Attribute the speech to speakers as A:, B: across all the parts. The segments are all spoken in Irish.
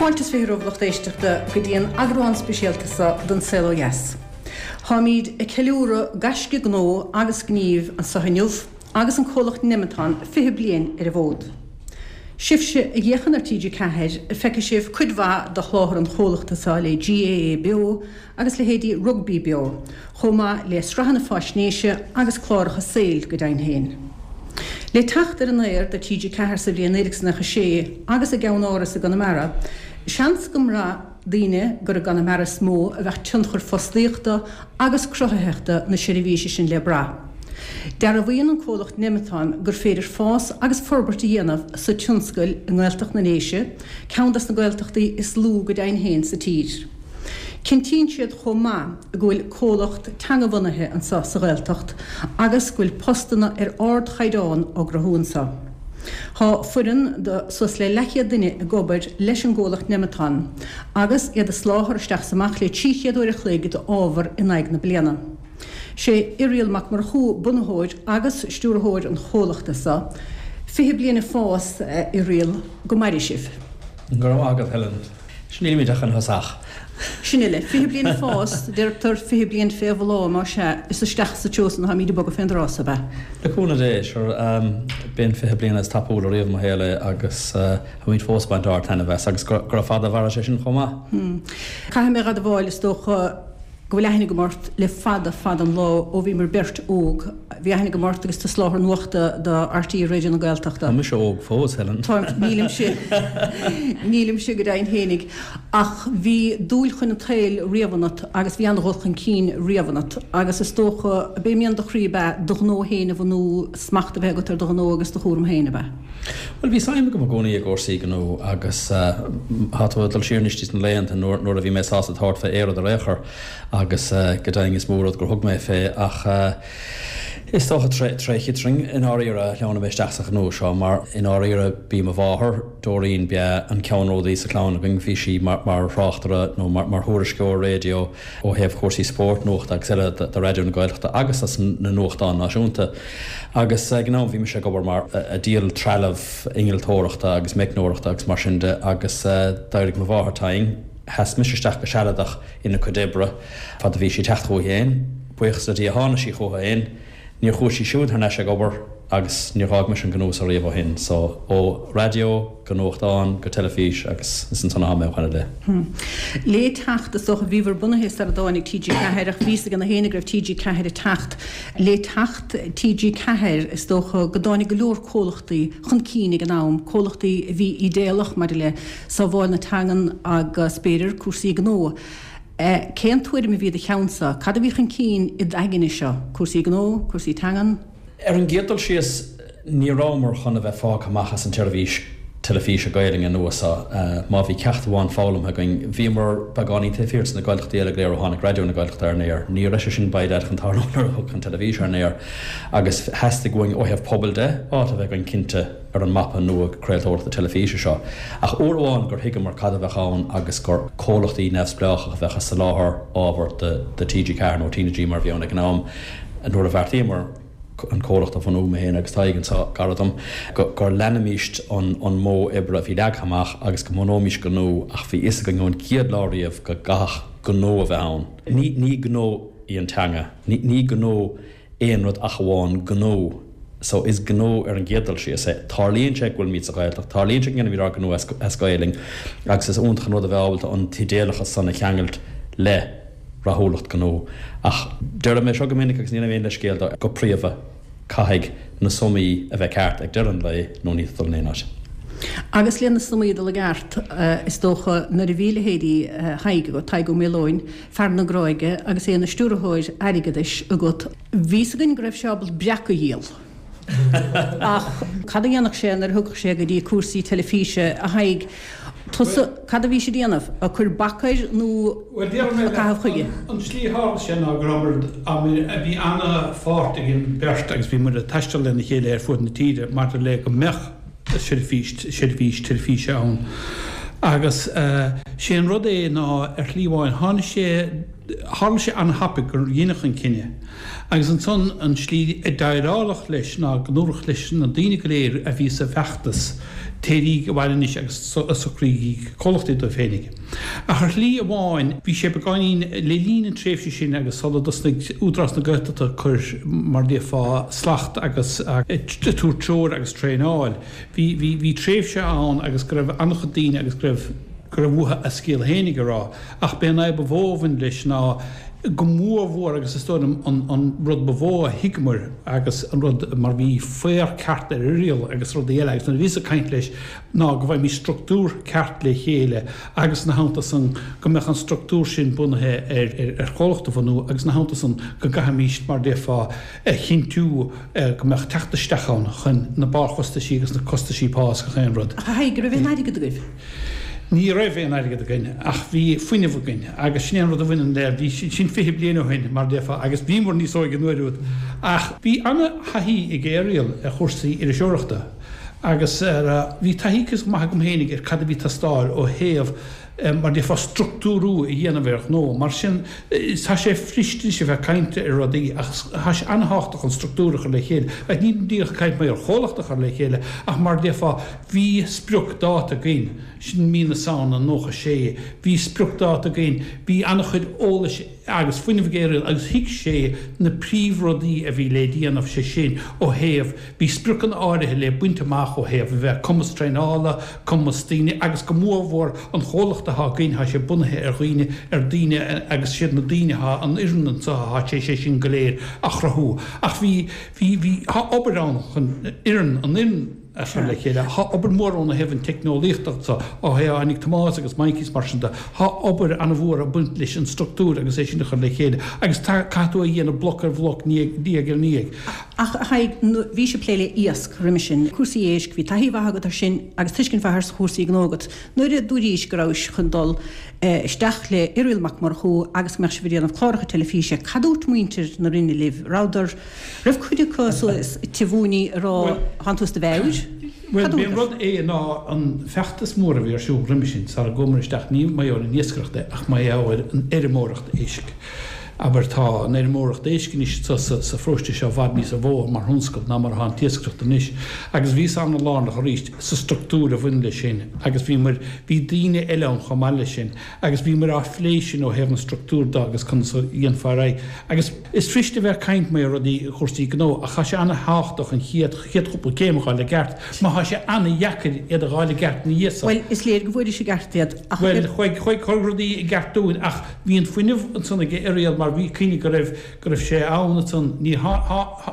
A: Fáilte is 20 romhaibh a lucht éisteachta go dtí an eagrán speisialta seo den Saol Ó Dheas. Táimíd ag ceiliúradh gaisce gnó agus gnímh anso inniu agus an comhlacht Nemeton 20 bliain ar an bhfód. Sibhse a fhéachann ar TG4, feicfidh sibh cuid mhaith de sholáthar an chomhlachta seo le GAA Beo agus leithéidí Rugbaí Beo, chomh maith le sraitheanna faisnéise agus cláracha saoil go deimhin féin. Le teacht ar an aer do TG4 sa bhliain 1996 agus a gceann-áras i gConamara, seans go mbraith daoine gur i gConamara is mó a bheadh tionchar fostaíochta agus cruthaitheachta na seirbhíse sin le brath. Dearbhaíonn an comhlacht Nemeton gur féidir fás agus forbairt a dhéanamh sa tionscal i nGaeltacht na nDéise, ceann des na Gaeltachtaí is lú go deimhin féin sa tír. Cinntíonn siad chomh maith go bhfuil comhlacht teangabhunaithe anseo sa Ghaeltacht agus go bhfuil postanna ar ardchaighdeán á gcruthú anseo. Tá foireann de suas le leathchéad duine ag obair leis an gcomhlacht Nemeton agus iad ag soláthar isteach is amach le 300 uair a chloig d'ábhar in aghaidh na bliana. Sé Irial Mac Murchú bunaitheoir agus stiúrthóir an chomhlachta seo. 20 bliain ag fás, a Irial, go maire sibh.
B: Go raibh maith agat, Helen. Nílimid ach ina thosach.
A: Sin uile. 20 bliain ag fás, deirtear 20 bliain fé bhláth, más ea, is isteach sa treo san atáimid ag bogadh fén dtráth so, ab ea?
B: Le cúnamh Dé, sure. B'é an 20 bliain is tapúla riamh i mo shaol é agus táimid fós ag baint ard-taitneamh as agus gura fada a mhairfidh sé sin chomh maith.
A: Caithfidh mé a dh'admháil, is dócha, go bhfuil aithne agam ort le fada fada an lá, ó bhíomar beirt óg. Bhí aithne agam ort agus tú ag soláthar nuachta do RTÉ Raidió na Gaeltachta.
B: Tá mise óg fós, Helen.
A: Tá, nílimse, nílimse go deimhin fhéinig. Ach bhí dúil chun an tsaoil riamh ionat agus bhí an-dhul chun cinn riamh ionat agus is dócha, ab é mian do chroí ab ea do ghnó féin a bhunú, smacht a bheith agat ar do ghnó agus do chúram féin, ab ea?
B: Bhuel, bhí suim agam i gcónaí i gcúrsaí gnó agus tá tú ag dul siar anois sna laethanta nuair a bhí mé sásta tabhairt fé aon rud ar aon chor agus go deimhin is mó rud gur thug mé fé ach is dócha tré chiotrainn i ndáiríre a shleamhnaigh mé isteach sa ghnó seo mar i ndáiríre b'í mo mháthair, Doreen, b'ea an ceannródaí sa chlann againn, bhí sí mar thráchtaire nó mar thuairisceoir raidió. ó thaobh chúrsaí spóirt, nuachta agus eile do Raidió na Gaeltachta agus dos na nuachtáin náisiúnta. Agus ag an am bhí mise ag obair mar ag díol trealamh innealtóireachta agus meicneoireachta agus mar sin de agus d'éirigh mo mháthair tinn. Sheas mise isteach go sealadach ina cuid oibre fad a bhí sí ag teacht chuici féin. Buíochas le Dia tháinig sí chuici féin. Níor chuaigh sí siúd thar n-ais ag obair agus níor dh'fhág mise an gnó so riamh ó shin. So, ó raidió go nuachtán go teilifís agus is ansan athá mé ó shoin i
A: leith. Le teacht, is dócha, bhíobhair bunaithe sar a dtáinig TG4 ach bhí fhios ag na héinne go raibh TG4 ag teacht. Le teacht TG4, is dócha go dtáinig go leor comhlachtaí chun cinn ag an am, comhlachtaí a bhí ídéalach maidir le sábháil na teangan agus b'fhéidir cúrsaí gnó. Cén tuairim a bhí i do cheannsa? Cad a bhí chun cinn i d'aigne seo? Cúrsaí gnó? Cúrsaí teangan?
B: Ar an gcéad dul síos, ní rabhamar chun a bheith fágtha amach as an tseirbhís teilifíse Gaelainne nua seo. Má bhí ceacht amháin foghlamtha againn, bhíomar beagáinín taobh thiar de na Gaeltachtaí eile go léir ó tháinig Raidió na Gaeltachta ar an aer. Ní raibh sé sin by dad chun tarlú nuair a thiocfadh an teilifís ar an aer agus theastaigh uainn ó thaobh pobail de, áit a bheith againn cinnte. ar an mapa nua craoltóireachta teilifíse seo. Ach uair amháin gur thuigeamar cad a bheadh ann agus gur comhlachtaí neamhspleácha a bheadh ag soláthar ábhar do TG4 nó TnaG mar a bhí ann ag an am, nuair a bheartaíomar an comhlacht a bhunú, mé féin agus Tadhg anseo gar dom, gur leanfaimíst an modh oibre a bhí leagtha amach agus go mbunóimís gnó ach bhí fhios againn ón gcéad lá riamh go gcaithfeadh gnó a bheith ann. Ní gnó í an teanga. Ní gnó aon rud ach amháin gnó. So, is gnó ar an gcéad dul síos é. Tarlaíonn sé go bhfuilimid sa Ghaeltacht, tarlaíonn sé go ndéanaimid ár ngnó as Gaelainn agus is iontach an rud a bheith ábalta an t-idéalachas san a cheangailt le rathúlacht gnó. Ach deirim é seo go minic agus ní dhéanaim aon leithscéal dó, go príomha, caithfidh na sumaí a bheith ceart ag deireadh an lae nó níl tú ag dul in aon áit.
A: Agus le na sumaí a dul i gceart, is dócha, nuair a bhí leithéidí Thaidhg agat, Tadhg Ó Maoileoin, fear na Gráige agus é ina stiúrthóir airgeadais agat. Bhí 'fhios againn go raibh sé ábalta breac a dhíol. Ach cad a dhéanfadh sé nuair a thiocfadh sé go dtí cúrsaí teilifíse, a Thaidhg? Tusa, cad a bhís ag déanamh? Ag cur bac air nó
C: ag caitheamh chuige? An tslí a tharla sé ná go rabhamar, bhí ana-pháirt ag an beirt agus bhí muid ag taisteal lena chéile ar fuaid na tíre maidir le go mbeadh seirbhís, seirbhís teilifíse ann. Agus sé an rud é ná ar shlí amháin tháinig sé. Tharla sé an-thapaidh gur dheineadh an cinneadh agus ansan an tslí a déileáladh leis ná go ndúradh leis na daoine go léir a bhí sa bhfeachtas, téiríg abhaile anois agus socraígí comhlachtaí daoibh féinig. Ach ar shlí amháin bhí sé beagáinín, le linn an tréimhse sin agus sula dtosnaigh Údarás na Gaeltachta ag cur, mar déarfá, slacht agus ag tabhairt treoir agus traenáil, bhí, bhí, bhí tréimhse ann agus go raibh an-chuid daoine agus go raibh, go raibh uathu a scéal féinig a rá. Ach b'é an fhadhb ba mhó a bhain leis ná go mór mhór, agus is dóigh liom an an rud ba mhó a thuigeamar agus an rud mar bhí faobhar ceart ar Irial agus rudaí eile agus nuair a bhíos ag caint leis ná go bhfaighimís structúr ceart le chéile agus ina theannta san go mbeadh an structúr sin bunaithe ar ar chomhlacht a bhunú agus ina theannta san go gcaithfimís mar déarfá a chinntiú go mbeadh teacht isteach ann chun na barrchostaisí agus na costaisí pá is gach aon rud.
A: Ach a Thaidhg, raibh aon airgead agaibh?
C: Ní raibh aon airgead againn ach bhí fuinneamh againn agus sin é an rud a bhaineann le, bhí, sin 20 bliain ó shin mar a déarfá agus bhíomar níos óige an uair úd ach bhí ana-thaithí ag Irial ar chúrsaí iriseoireachta agus ar, bhí taithí cuíosach maith agam féinig ar cad a bhí ag teastáil ó thaobh mar a déarfá structúrú a dhéanamh ar ghnó. Mar sin tá sé fuirist anois a bheith ag caint ar rudaí ach tá sé ana-thábhachtach an structúr a chur le chéile. Nílim díreach ag caint mar ar chomhlacht a chur le chéile ach mar a déarfá Bhí spriocdháta againn, sin mí na Samhna 96, bhí spriocdháta againn, bhí an-chuid eolais agus fuinnimh ag Irial agus thuig sé na príomhrudaí a bhí le déanamh, sé sin ó thaobh, bhí spriocanna áirithe le baint amach ó thaobh a bheith cumas traenála, cumas daoine agus go mórmhór an chomhlacht atá againn, tá sé bunaithe ar dhaoine, ar daoine agus siad na daoine atá, an fhoireann anseo atá sé sé sin go léir a chruthú. Ach bhí, bhí, bhí, tá obair ann chun fhoireann, an fhoireann, a chur le chéile. Tá obair mhór ann ó thaobh an teicneolaíochta so, ó thaobh tháinig Tomás agus Mikey is mar sin de. Tá obair an-mhór ag baint leis an structúr agus é sin a chur le chéile agus tá, caithfidh tú é a dhéanamh bloc ar bhloc, ndiaidh ar ndiaidh.
A: Ach a Thaidhg, bhís ag plé le iasc roimhe sin, cúrsaí éisc, bhí taithí mhaith agat ar sin agus tuiscint mhaith ar chúrsaí gnó agat. Nuair a dúraís go rabhais chun dul isteach le Irial Mac Murchú agus go mbeadh sibh ag déanamh cláracha teilifíse, cad dúirt muintir na Roinne libh? Rabhadar. Raibh cuid acu suas te mhúiní ag rá thánn tú as do mheabhair?
C: Bhuel, b'é an rud é ná an feachtas mór a bhí ar siúl roimhe sin, sara gcuamar isteach, ní mar gheall ar an iascaireacht é, ach mar gheall ar an fheirmeoireacht éisc. Abair, tá an fheirmeoireacht éisc anois sa sa pharóiste seo i bhfad níosa mhó mar thionscal ná mar atá an t-iascaireacht anois. Agus bhíos ana-lárnach arís sa structúr a bhain leis sin agus bhíomar, bhí daoine eile ann chomh maith leis sin agus bhíomar á phlé sin ó thaobh an structúr de agus conas a dhéanfá ar aghaidh. Agus. Is fuirist a bheith ag caint mar rudaí chúrsaí gnó ach tá sé ana-thábhachtach an chéad chéad chúpla céim a dh'fháil i gceart mar tá sé ana-dheacair iad a dh'fháil i gceart ina dhiaidh
A: san. Bhuel, is léir go bhfuairis i gceart iad
C: ach. Bhuel, chuaigh chuaigh chuir rudaí i gceart dúinn ach bhí an fuinneamh ansan ag Irial mar bhí cuimhne go raibh go raibh sé ann ansan níor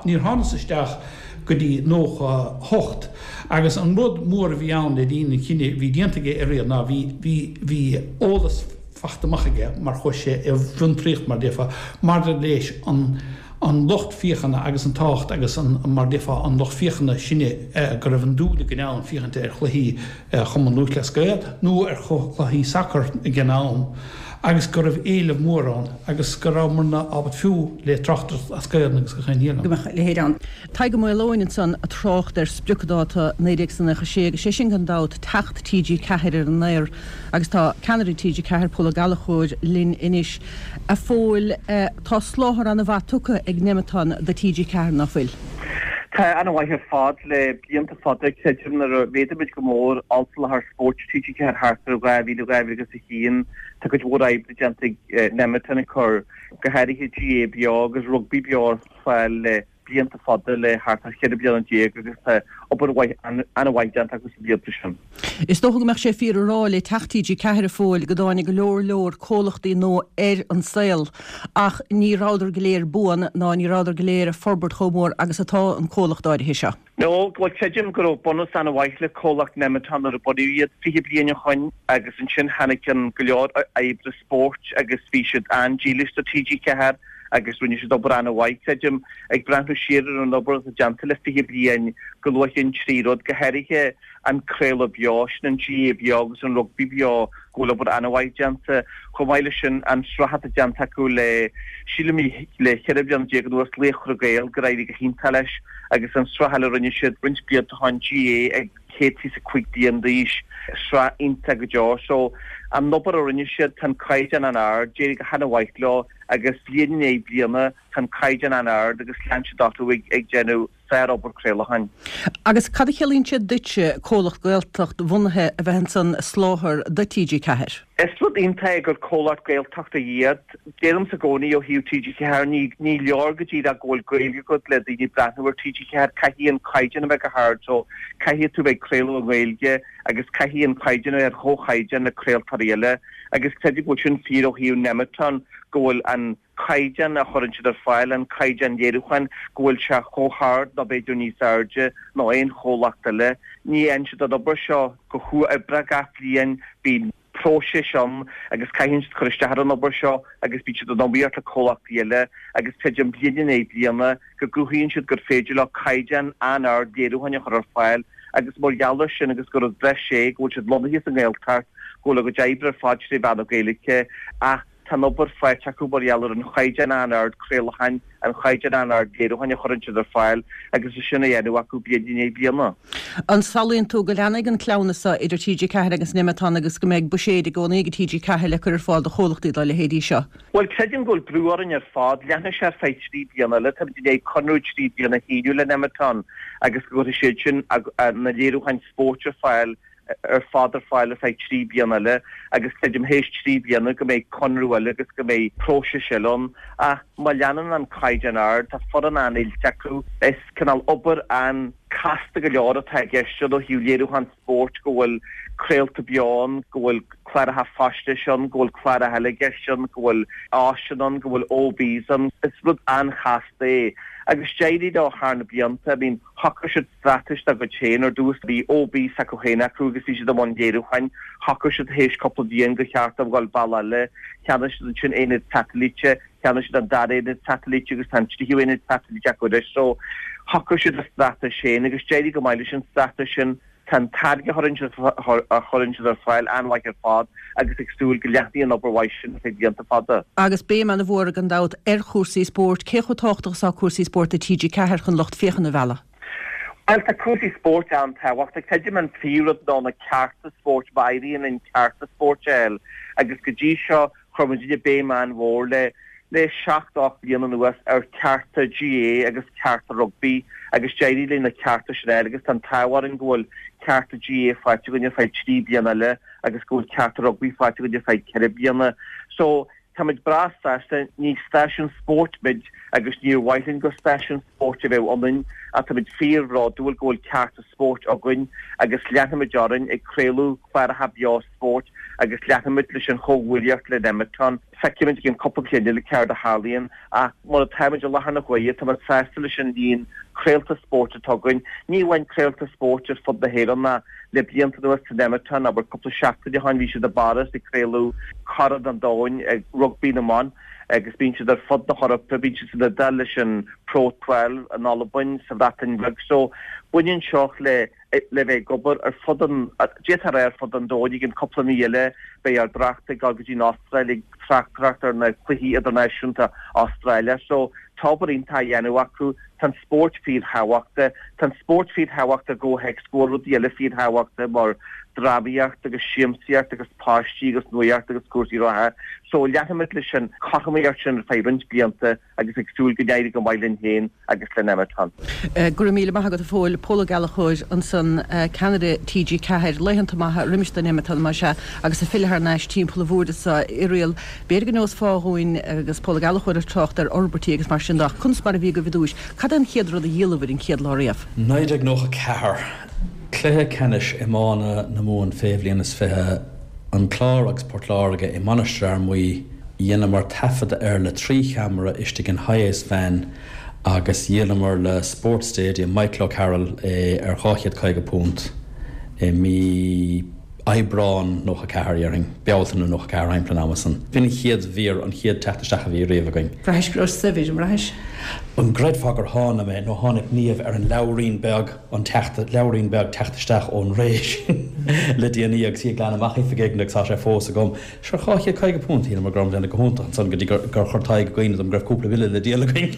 C: níor thánas isteach go dtí 98 agus an rud mór a bhí ann le linn an chinnidh a bhí déanta ag Irial ná bhí bhí bhí eolas fachta amach aige mar chuaigh sé i bhfiontraíocht, mar déarfá, maidir leis an an lucht féachana agus an tábhacht agus an, mar déarfá, an lucht féachana sinne go raibh an dúil againn ann féachaint ar chluichí Chumann Lúthchleas Gael nó ar chluichí sacair ag an am agus go raibh éileamh mór ann agus go rabhamarna ábalta fiú le tráchtaireacht as Gaelainn agus gach aon ní
A: eile. go mbeadh a leithéid ann. Tadhg Ó Maoileoin ansan ag trácht ar spriocdháta 1996 agus sé sin gan dabht teacht TG4 ar an aer agus tá ceannaire TG4, Pól Ó Gallchóir, linn anois. A Phóil, tá soláthar an-mhaith tugtha ag Nemeton do TG4, ná fuil?
D: Tá, an-mhaith ar fad le blianta fada. Creidim nuair a mhéadaigh muid go mór ollsoláthar spóirt TG4 thart ar 2000, 2001, tá cuid mhór oibre déanta ag Nemeton ag cur go háirithe GAA beo agus rugbaí beo ar fáil le blianta fada le thart ar 14 bliana agus tá obair mhaith, an-mhaith déanta acu sna blianta sin.
A: Is dócha go mbeadh sé fíor a rá le teacht TG4 a Phóil go dtáinig go leor leor comhlachtaí nua ar an saol ach ní rabhadar go léir buan ná ní rabhadar go léir ag forbairt chomh mór agus atá an comhlacht áirithe seo.
D: No, bhuel creidim go raibh bunús an-mhaith le comhlacht Nemeton nuair a bunaíodh iad 20 bliain ó shoin agus ansin tháinig an go leor oibre spóirt agus bhí siad an-dílis do TG4 agus rinne siad obair an-mhaith, creidim, ag breathnú siar ar an obair atá déanta le 20 bliain, go luafainn 3 rud, go háirithe an craoladh beo, sin an GAA beo agus an rugbaí beo, go bhfuil obair an-mhaith déanta. Chomh maith leis sin, an tsraith atá déanta acu le, sílim, le 14 bliana anuas, Laochra Gael, gur éirigh go hiontach leis, agus an tsraith eile a rinne siad roinnt blianta ó shoin, GAA ag. 125 bliain d'aois, sraith iontach go deo. So, an obair a rinne siad, tá an caighdeán an-ard, d'éirigh go han-mhaith leo agus bliain i ndiaidh bliana tá an caighdeán an-ard agus lean siad orthu ag déanamh sár-obair craolacháin.
A: Agus cad a chiallaíonn sé duitse comhlacht Gaeltacht bhunaithe a bheith ansan ag soláthar do TG4?
D: Is rud iontach é gur comhlacht Gaeltachta iad. Deirimse i gcónaí ó thaobh TG4, ní ní leor go díreach go bhfuil Gaeilge agat le daoine breathnú ar TG4, caithfidh an caighdeán a bheith go hard so caithfidh tú bheith ag craoladh i nGaeilge agus caithfidh an caighdeán a bheith ar chomhchaighdeán le craoltóirí eile agus creidim go bhfuil sin fíor ó thaobh Nemeton go bhfuil an caighdeán a chuireann siad ar fáil, an caighdeán léiriúcháin, go bhfuil sé chomh hard nó b'fhéidir níos airde ná aon chomhlacht eile. Ní dhéanann siad an obair seo go huathoibreach gach bliain, bíonn próiseas ann agus caitheann siad cur isteach ar an obair seo agus bíonn siad in iomaíocht le comhlachtaí eile agus creidim bliain i ndiaidh bliana go gcruthaíonn siad gur féidir leo caighdeán an-ard léiriúcháin a chur ar fáil agus mar gheall air sin agus gur rud breise é go bhfuil siad lonnaithe sa nGaeltacht, go bhfuil a gcuid oibre ar fad tré mheán na Gaeilge ach Tá an obair faighte acu mar gheall ar an chaighdeán an-ard craolacháin, an chaighdeán an-ard léiriúcháin a chuireann siad ar fáil agus é sin á dhéanamh acu bliain i ndiaidh bliana.
A: An samhlaíonn tú go leanfaidh an cleamhnas seo idir TG4 agus Nemeton agus go mbeidh buiséid i gcónaí ag TG4 le cur ar fáil do chomhlachtaí dá leithéidí seo?
D: Bhuel, creidim go bhfuil brú orainn ar fad. Leanfaidh sé ar feadh 3 bliana eile. Táimid i ndiaidh conradh 3 bliana a shíniú le Nemeton agus go gcuirfidh siad sin na léiriúcháin spóirt ar fáil ar fad ar fáil ar feadh 3 bliana eile agus creidim théis 3 bliana go mbeidh conradh eile agus go mbeidh próiseas eile ann. Ach má leanann an caighdeán ard, tá foireann an-oilte acu, is cineál obair an-casta go leor atá i gceist ann ó thaobh léiriúchán spóirt, go bhfuil craolta beo ann, go bhfuil cláracha faisnéise ann, go bhfuil cláracha eile i gceist ann, go bhfuil áiseanna ann, go bhfuil OBs ann. Is rud an-chasta é. Agus d'éirigh leo thar na blianta, I mean, shocraigh siad straitéis dá gcuid féin. Ar dtús bhí OB s'acu féin acu agus bhí siad i mbun léiriúcháin. Shocraigh siad théis cúpla bliain gur cheart dóibh dul bealach eile. Cheannaigh siad ansin aonad satailíte, cheannaigh siad an dara aonad satailíte agus tá an tríú aonad satailíte acu anois. So shocraigh siad a straitéis féin agus d'éirigh go maith leis an straitéis sin. Tá an táirge a chuireann siad a chuireann siad ar fáil an-mhaith ar fad agus ag súil go leanfaidh an obair mhaith sin ar feadh blianta fada.
A: Agus béim an-mhór gan dabht ar chúrsaí spóirt. Cé chomh tábhachtach is atá cúrsaí spóirt do TG4 chun lucht féachana a mhealladh?
D: Bhuel, tá cúrsaí spóirt an-tábhachtach. Creidim an príomhrud ná na cearta spóirt, má éiríonn linn cearta spóirt a fháil agus go dtí seo Chuir muidne béim an-mhór le le 7, 8 bliana anuas ar chearta GAA agus cearta rugbaí agus d'éirigh linn na cearta sin a fháil agus tá an t-ádh orainn go bhfuil cearta GAA faighte againn ar feadh 3 bliana eile agus go bhfuil cearta rugbaí faighte againn ar feadh 4 bliana. So, táimid breá sásta, ní stáisiún spóirt muid agus níor mhaith linn gur stáisiún spóirt a bheadh ionainn ach táimid fíorbhródúil go bhfuil cearta spóirt againn agus leanfaimid orainn ag craoladh cláracha beo spóirt agus leanfaimid leis an chomhghuaillíocht le Nemeton. Feicfimid i gceann cúpla bliain eile céard a tharlaíonn ach mar atáimid i láthair na huaire táimid sásta leis an líon craolta spóirt atá againn. Ní amháin craolta spóirt ar fud na hÉireann ach le blianta anuas tá Nemeton, abair cúpla seachtain ó shin bhí siad i bPáras ag craoladh Corn an Domhain ag Rugbaí na mBan agus bíonn siad ar fud na hEorpa, bíonn siad san Iodáil leis an Pro 12, in Albain, sa Bhreatain Bheag so baineann seo le le bheith ag obair ar fud an, d'fhéadfá a rá ar fud an domhain, i gceann cúpla mí eile beidh ár dtráchtaire ag dul go dtí an Astráil ag tráchtaireacht ar na cluichí idirnáisiúnta Astráile. So tá obair iontach á dhéanamh acu, tá an spórt fíorthábhachtach, tá an spórt fíorthábhachtach i gcomhthéacs go bhfuil rudaí eile fíorthábhachtach mar drámaíocht agus siamsaíocht agus páistí agus nuaíocht agus cúrsaí reatha. So leanfaimid leis an chothromaíocht sin ar feadh roinnt blianta. agus ag súil go n-éirí go maith linn féin agus le Nemeton.
A: Go raibh míle maith agat a Phóil. Pól Ó Gallchóir ansan, ceannaire TG4. Laethanta maithe roimis do Nemeton más ea agus ag filleadh thar n-ais timpeall an bhoird anso, a Irial, b'fhéidir go neosfá dhúinn agus Pól Ó Gallchóir ag trácht ar fhorbairtí agus mar sin de ach conas mar a bhí agaibh i dtúis? Cad é an chéad rud a dhíolabhair an chéad lá riamh?
B: 1994, Cluiche Ceannais Iomána na Mumhan fé bhliain is 20, An Clár agus Port Láirge i Mainistir Fhear Maí, dheineamar taifeadadh air le 3 cheamara istigh in Hiace van agus dhíolamar le Sports Stadium Michael O'Carroll é ar £250 i mí Aibreán 94, déarfainn, Bealtaine 94, thimpeall an ama san. B'in an chéad mhír, an chéad teacht isteach a bhí riamh againn.
A: Bhraithis go raibh saibhir, an mbraithis?
B: An gcreidfeá gur tháinig mé, nó tháinig Niamh ar an leabhairín beag, an teacht, leabhairín beag teacht isteach ón ré sin le déanaí agus í ag glanadh amach oifig éigin agus tá sé fós agam. Sure, £250, shíleamar go rabhamar ag déanamh go hiontach ansan go dtí gur chuir Tadhg i gcuimhne dom go raibh cúpla bille le díol againn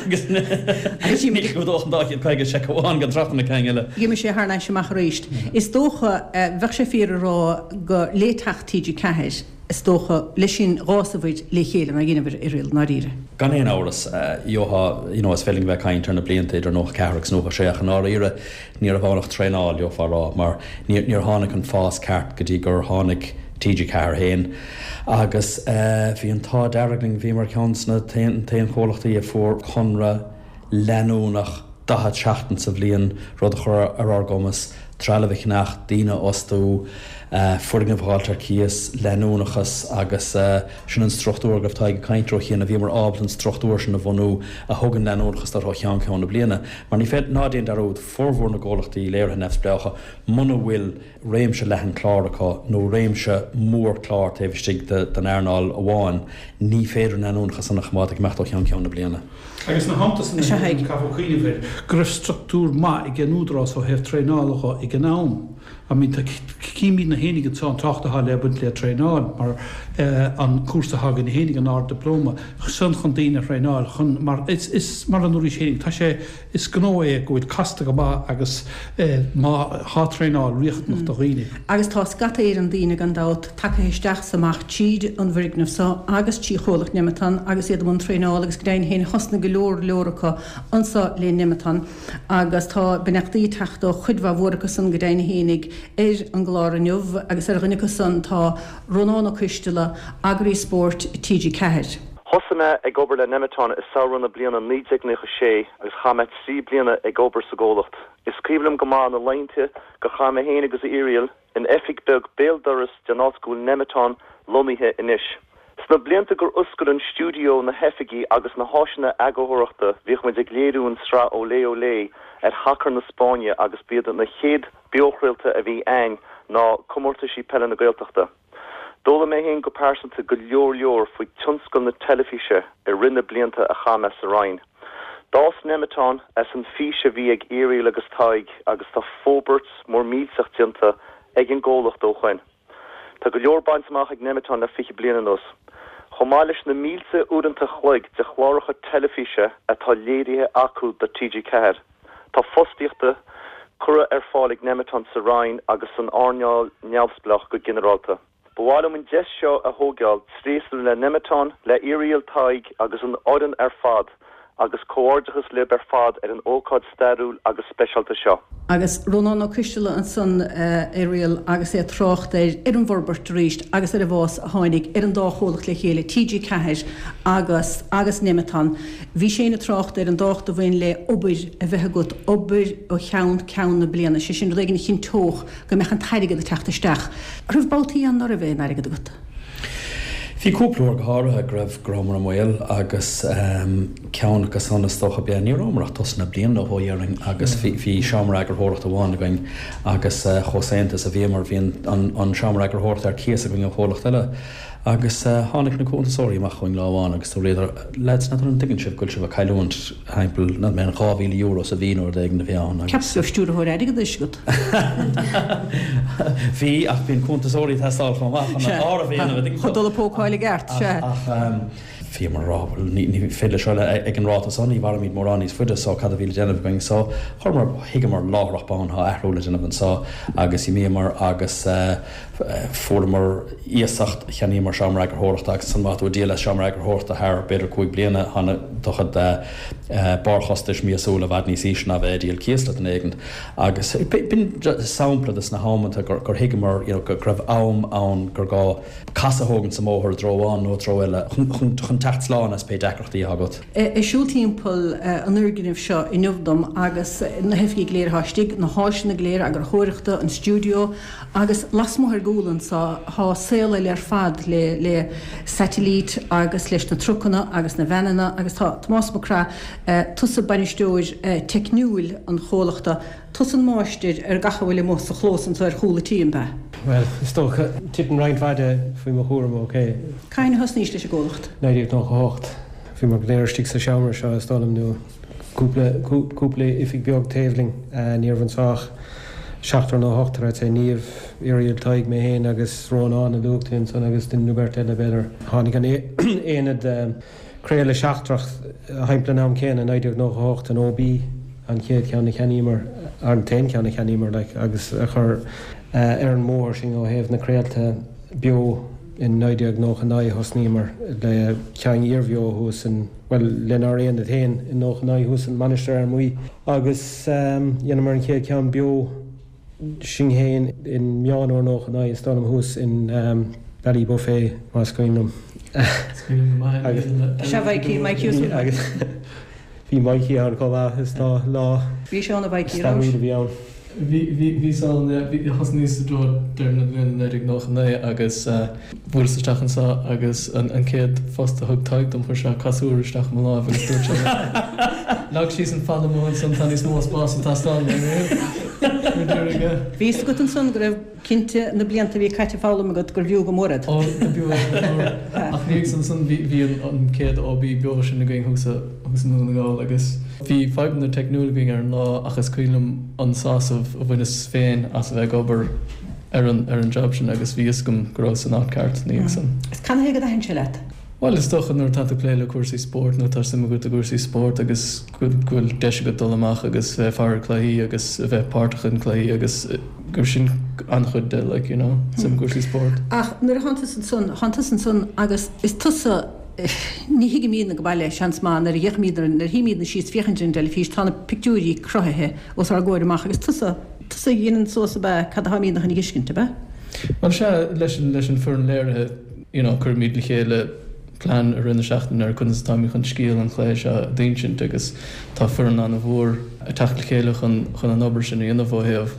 B: agus ní chlúdódh an 250 seic amháin gan trácht ar na cinn eile.
A: D'imigh sé thar n-ais amach arís. Is dócha, bheadh sé fíor a rá go le teacht TG4, Is dócha, leis sin dh'fhásabhair le chéile nár dheineabhair Irial, i ndáiríre.
B: Gan aon amhras, gheofá, you know, is féidir linn a bheith ag caint ar na blianta idir 94 agus 96 ach i ndáiríre ní raibh ann ach traenáil, gheofá a rá, mar níor, níor tháinig an fás ceart go dtí gur tháinig TG4 féin agus bhí an t-ádh dearg linn, bhíomar ceann de na t-aon, t-aon chomhlachtaí a fuair conradh leanúnach 40 seachtain sa bhliain, rud a chuir ar ár gcumas trealamh a cheannach, daoine a fhostú, foirgnimh a dh'fháilt ar cíos, leanúnachas agus sin an struchtúr go raibh Tadhg ag caint air cheana, bhíomar ábalta an struchtúr sin a bhunú a thugann leanúnachas duit ó cheann ceann na bliana. Mar ní féidir, ná déan dearúd, formhór na gcomhlachtaí léirithe neamhspleácha, muna bhfuil réimse leathan clár acu nó réimse mór clár taobh istigh den earnáil amháin, ní féidir an leanúnachas san a choimeád ag imeacht ó cheann ceann na bliana.
C: Agus ina theannta san caithfear cuimhneamh air go raibh struchtúr maith ag an Údarás ó thaobh traenála dho ag an am. I mean tá címídne fhéinig anso an tábhacht atá le baint le traenáil mar an cúrsa atá againne fhéinig an Ard-Dioplóma san chun daoine a thraenáil chun mar is is mar a ndúraís fhéinig tá sé is gnó é go bhfuil casta go maith agus má thá traenáil riachtanach do dhaoine.
A: Agus tá scata Éireann daoine gan dabht tagtha isteach 's amach tríd an bhfoirgneamh so agus trí chomhlacht Nemeton agus iad i mbun traenála agus go deimhin féin thosnaigh go leor leor acu anso le Nemeton agus tá beannachtaí ag teacht ó chuid mhaith mhór acu san go deimhin fhéinig ar an gclár inniu agus ar dhuine acu san tá Rónán Ó Coisteala, Eagraí Spóirt TG4.
E: Thosaigh mé ag obair le Nemeton i samhradh na bliana 1996 agus chaith mé 3 bliana ag obair sa gcomhlacht. Is cuimhin liom go maith na laethanta gur chaith mé féin agus Irial in oifig beag béal dorais den áit go bhfuil Nemeton lonnaithe anois. Sna blianta gur oscail an stiúideo, na hoifigí agus na háiseanna eagarthóireachta bhíodh muid ag léiriú an sraith Olé Olé ar shacar na Spáinne agus b'iad na chéad beochraolta a bhí a'ainn ná comórtaisí peile na Gaeltachta. D'fhoghlaim mé féin go pearsanta go leor leor faoi tionscal na teilifíse i rith na blianta a chaith mé sa Roinn. D'fhás Nemeton as an fís a bhí ag Irial agus Tadhg agus tá forbairt mór millteach déanta ag an gcomhlacht ó shoin. Tá go leor bainte amach ag Nemeton le 20 bliain anuas. Chomh maith leis na mílte uaireanta a chloig de chláracha teilifíse atá léirithe acu do TG4, tá fostaíochta curtha ar fáil ag Nemeton sa Roinn agus san earnáil neamhspleách go ginearálta. Ba mhaith liom an deis seo a thógáil tréaslú le Nemeton, le Irial, Tadhg agus an fhoireann ar fad agus comhghairdeachas libh ar fad ar an ócáid stairiúil agus speisialta seo.
A: Agus Rónán Ó Coisteala ansan, Irial, agus é ag trácht ar ar an bhforbairt arís agus ar an bhfás a tháinig ar an dá chomhlacht le chéile, TG4 agus agus Nemeton. Bhí sé ag trácht ar an dtábhacht a bhain le obair a bheith agat, obair ó cheann ceann na bliana, sé sin rud éigin a chinnteodh go mbeadh an t-airgead ag teacht isteach. An raibh babhtaí ann ná raibh aon airgead agat?
B: Bhí cúpla uair go háirithe go raibh, go rabhamar i mbaol agus ceann acu san is dócha ab ea, ní rabhamar ach tosnaithe bliain nó dhó dhéarfainn agus bhí, bhí seomra eagarthóireachta amháin againn agus chomh saonta is a bhíomar bhí an, an, an seomra eagarthóireachta ar cíos againn ó chomhlacht eile agus tháinig na cuntasóirí amach chugainn lá amháin agus dúradar, lads, n'fheadar an dtuigeann sibh go bhfuil sibh ag cailliúint timpeall, n'fheadar mé, €2,000 sa mhí nó rud éigin a bhí ann agus.
A: Cheapas go raibh stiúrthóir airgeadais agat.
B: Bhí, ach bíonn cuntasóirí ag teastáil chomh maith chun an áireamh a dhéanamh.
A: Chun dul ag pócáil i gceart, sea.
B: Ach bhíomar ag rá, bhuel, ní féidir leis seo ag an ráta seo, ní mhairfimid mórán níos faide, so cad a bhí le déanamh againn? So chuireamar, thuigeamar láithreach bonn, tá athrú le déanamh anseo agus d'imíomar agus fuaireamar iasacht, cheannaíomar seomra eagarthóireachta agus ansan má tá tú ag díol as seomra eagarthóireachta thar b'fhéidir 5 bliana, tá do chuid barrchostais míosúla i bhfad níos ísle ná bheith ag díol cíos le duine éigin. Agus b'in sampla de na hamanta gur thuigeamar you know go raibh am ann gur gá casadh a thógaint sa mbóthar i dtreo amháin nó i dtreo eile chun teacht slán as pé deacrachtaí atá agat.
A: Ag siúl timpeall an fhoirgnimh seo inniu dom agus na hoifigí go léir atá istigh, na háiseanna go léir eagarthóireachta, an stiúideo agus lasmuigh ar gcúl anseo tá saol eile ar fad le le saitilít agus leis na trucanna agus na veaineanna agus tá Tomás Mac Craith Tusa bainisteoir teicniúil an chomhlachta, tusa an máistir ar gach a bhfuil amuigh sa chlós anseo ar chúl an tí, an ea?
F: Bhuel, is dócha, titeann roinnt mhaith de faoi mo chúram, ok.
A: Cathain a thosnaís leis an gcomhlacht?
F: 1998. Bhíomar go léir istigh sa seomra seo, is dóigh liom, nó cúpla, cúpla oifig beag taobh linn. Ní raibh anseo ach seachtar nó ochtar, I'd say, Niamh, Irial, Tadhg, mé féin agus Rónán a luaigh tú ansan agus duine nó beirt eile, b'fhéidir. Tháinig an aonad craoladh seachtrach thimpeall an am céanna, 1998, an OB, an chéad cheann a cheannaíomar, an t-aon cheann a cheannaíomar, like, agus a chuir ar an mbóthar sinn ó thaobh na craolta beo. In 1999 thosnaíomar le ceann iarbheo thuas in, bhuel, lenár aonad féin in 99 thuas in Mainistir Fhear Maí agus dheineamar an chéad cheann beo sinn féin in Meán Fhómhair 99 is dóigh liom thuas in Ballybofey más cuimhin liom.
G: Is cuimhin liom go maith é.
A: Sea, Mikey, Mikey O'Sullivan.
F: Agus bhí Mikey ann chomh maith is dá lá
A: Bhí sé ann a Mhikey, raibh?
F: stairiúil a bhí ann.
G: Bhí, bhí, bhíos ann, yeah. Bhí, thosnaíos i dtreo deireadh na bliana 1999 agus bhuaileas isteach anseo agus an, an chéad phost a thug Tadhg dom chuir sé casúr isteach i mo láimh agus dúirt sé Leag síos an falla amuigh ansan, tá níos mó spáis ag teastáil uaim. Go
A: díreach, yeah. Bhí fhios agat ansan go raibh Cinnte, na blianta a bhí caite ag foghlaim agat gurbh fhiú go mór iad.
G: Ó, go b'fhiú é go mór. Ach ina dhiaidh san ansan bhí, bhí an, an chéad OB beo sin againn thuas i, thuas i nDún na nGall agus bhí fadhbanna teicniúla againn ar an lá ach is cuimhin liom an sásamh a bhaineas féin as a bheith ag obair ar an, ar an job sin agus bhí fhios agam go rabhas san áit ceart ina dhiaidh san.
A: Is canathaobh gur thaitin sé leat?
G: Bhuel, is dócha nuair atá tú ag plé le cúrsaí spóirt nó tá suim agat i gcúrsaí spóirt agus go bhfuil deis agat dul amach agus bheith ag faire cluichí agus a bheith páirteach in cluichí agus gur sin an-chuid de like you know suim i gcúrsaí spóirt.
A: Ach nuair a thánn tusa ansan, thánn tusa ansan agus is tusa, ní thuigimídne go baile, seans maith, nuair a fhéachaimídne, nuair a shuímídne síos féachaint ar an dteilifís, tá na pictiúirí cruthaithe os ár gcomhair amach agus tusa, tusa a dheineann suas ab ea cad atáimídne chun a dh'fheiscint, ab ea?
G: Bhuel sea, leis an, leis an foireann léirithe, you know cuirimid le chéile plean i rith na seachtaine ar conas atáimid chun scéal an chluiche seo a d'insint agus tá foireann an-mhór ag teacht le chéile chun chun an obair sin a dhéanamh ó thaobh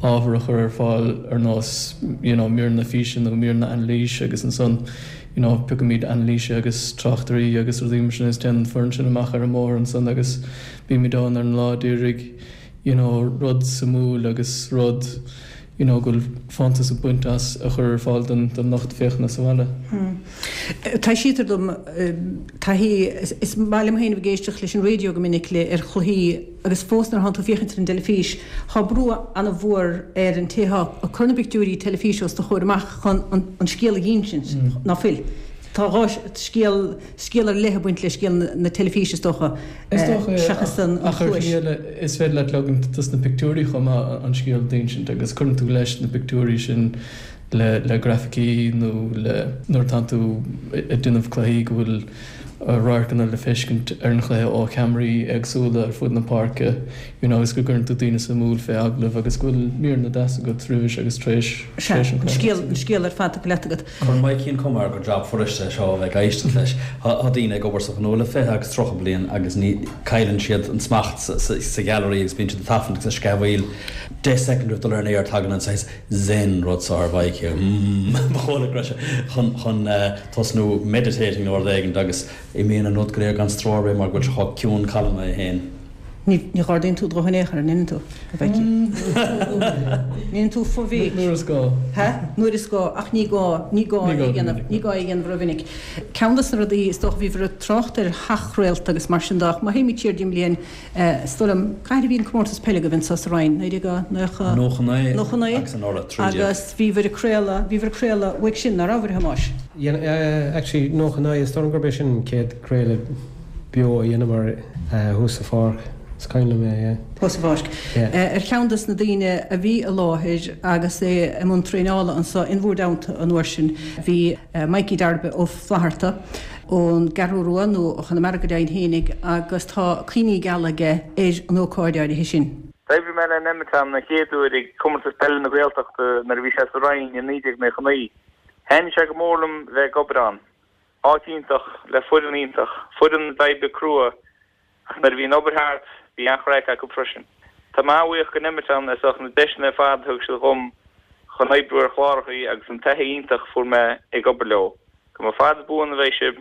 G: ábhar a chur ar fáil ar nós you know míreanna físe nó míreanna anailíse agus ansan you know piocaimid anailísithe agus tráchtairí agus rudaí mar sin agus téann an foireann sin amach ar an mbóthar ansan agus bímid ann ar an lá d'iarraidh you know rud suimiúil agus rud you know go bhfuil fóntas ag baint as a chur ar fáil don don lucht féachana sa bhaile.
A: Taibhsítear dom taithí, is maith liom féin a bheith ag éisteacht leis an raidió go minic le ar chluichí agus fós nuair atánn tú ag féachaint ar an dteilifís tá brú an-mhór ar an té atá ag cur na bpictiúirí teilifíse os do chomhair amach chun an scéal a dh'insint, ná fuil? Tá dhá scéal scéal ar leith ag baint le scéal na teilifíse is dócha,
G: Is dócha é, seachas an ach ar shlí eile is féidir leat leagaint dos na pictiúirí chomh maith an scéal d'insint agus cuireann tú leis na pictiúirí sin le le grafaicí nó le nuair atánn tú ag déanamh cluichí go bhfuil radharcanna le feiscint ar an chluiche ó cheamaraí éagsúla ar fud na páirce you know agus go gcuireann tú daoine suimiúil fé agallamh agus go bhfuil míreanna deasa agat roimhis agus tar éis
A: Sea, an scéal, an scéal ar fad tugtha leat agat.
B: Cuireann Mikey an cuma air gur jab fuirist é seo a bheith ag éisteacht leis. Tá daoine ag obair sa ghnó le 20 agus 30 bliain agus ní, cailleann siad an smacht sa ghailearaí agus bíonn siad ag tafann agus ag sceamhaíl. 10 soicind roimh dul ar an aer tagann an saghas zen rud seo ar Mhikey, mm, ba chóir go raibh sé chun, chun tosnú meditating nó rud éigin agus imíonn an rud go léir gan stró ar bith mar go bhfuil sé chomh ciúin calma é féin.
A: Ní dh'ardaíonn tú do ghuth in aon chor, an ndeineann tú, a Mhikey? Ndeineann tú fo-bhéic?
G: Nuair is gá.
A: Ha? Nuair is gá, ach ní gá, ní gá é a dhéanamh, ní gá é a dhéanamh rómhinic. Ceann de na rudaí, is dócha, bhíobhair ag trácht ar sheachchraolta agus mar sin de, ach má théimid siar deich mbliain, is dóigh liom, cathain a bhí an comórtas peile agaibh anseo sa Rinn?
B: 1999? 99 agus anuraidh,
A: 13. Agus bhíobhair ag craoladh, bhíobhair ag craoladh uaidh sin, ná rabhabhair, a Thomáis?
F: Yeah, actually, 99, is dóigh liom gurb é sin an chéad craoladh. beo a dheineamar thuas sa pháirc. Is cuimhin liom é, yeah.
A: Thuas sa pháirc.
F: Yeah.
A: Ar cheann des na daoine a bhí i láthair agus é i mbun traenála anso in bhúr dteannta an uair sin bhí Mikey Darby Ó Flatharta ón gCeathrú Rua, nó ó Chonamara go deimhin fhéinig, agus tá cuimhní geala aige ar an ócáid áirithe sin.
H: D'oibrigh mé le Nemeton an chéad uair ag Comórtas Peile na Gaeltachta nuair a bhí sé sa Rinn i 1999. Thaitnigh sé go mór liom bheith ag obair ann. Áit iontach, le foireann iontach, foireann a d'oibrigh crua ach nuair a bhí an obair thart, bhí an-chraic acu freisin. Tá mé an-bhuíoch go Nemeton as ucht na deiseanna ar fad a thug siad dhom chun oibriú ar chlárachaí agus an taithí iontach a fuair mé ag obair leo. Go mba fada buan a bheidh sibh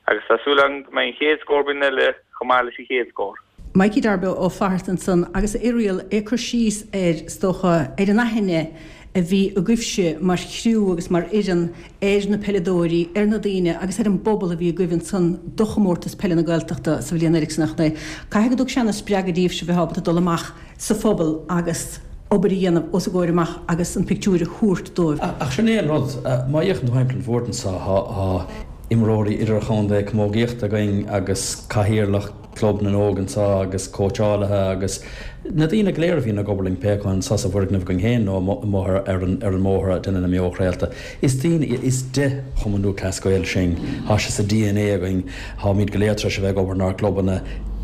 H: agus tá súil agam go mbeidh an chéad scór bliain eile chomh maith leis an chéad scór.
A: Mikey Darby Ó Flatharta ansan agus Irial é ag cur síos ar, is dócha, ar an aithne. a bhí agaibhse mar chriú agus mar fhoireann ar na peileadóirí, ar na daoine agus ar an bpobal a bhí agaibh ansan do Chomórtas Peile na Gaeltachta sa bhliain 1999. Caithfidh go dtug sé ana spreagadh daoibhse bheith ábalta dul amach sa phobal agus obair a dhéanamh os a gcomhair amach agus an pictiúir a thabhairt dóibh.
B: Ach sin é an rud, má fhéachann tú thimpeall an bhoird anso, tá imreoirí idirchontae camógaíochta againn agus cathaoirleach Club na nÓg anseo agus cóitseálaithe agus na daoine go léir a bhíonn ag obair linn pé acu anseo sa bhfoirgneamh againn féin nó amuigh ar an mbóthar ag déanamh na mbeochraolta. Is daoine iad, is de Chumann Lúthchleas Gael sinn, tá sé sa dna againn, táimid go léir tar éis a bheith ag obair inár gclubanna,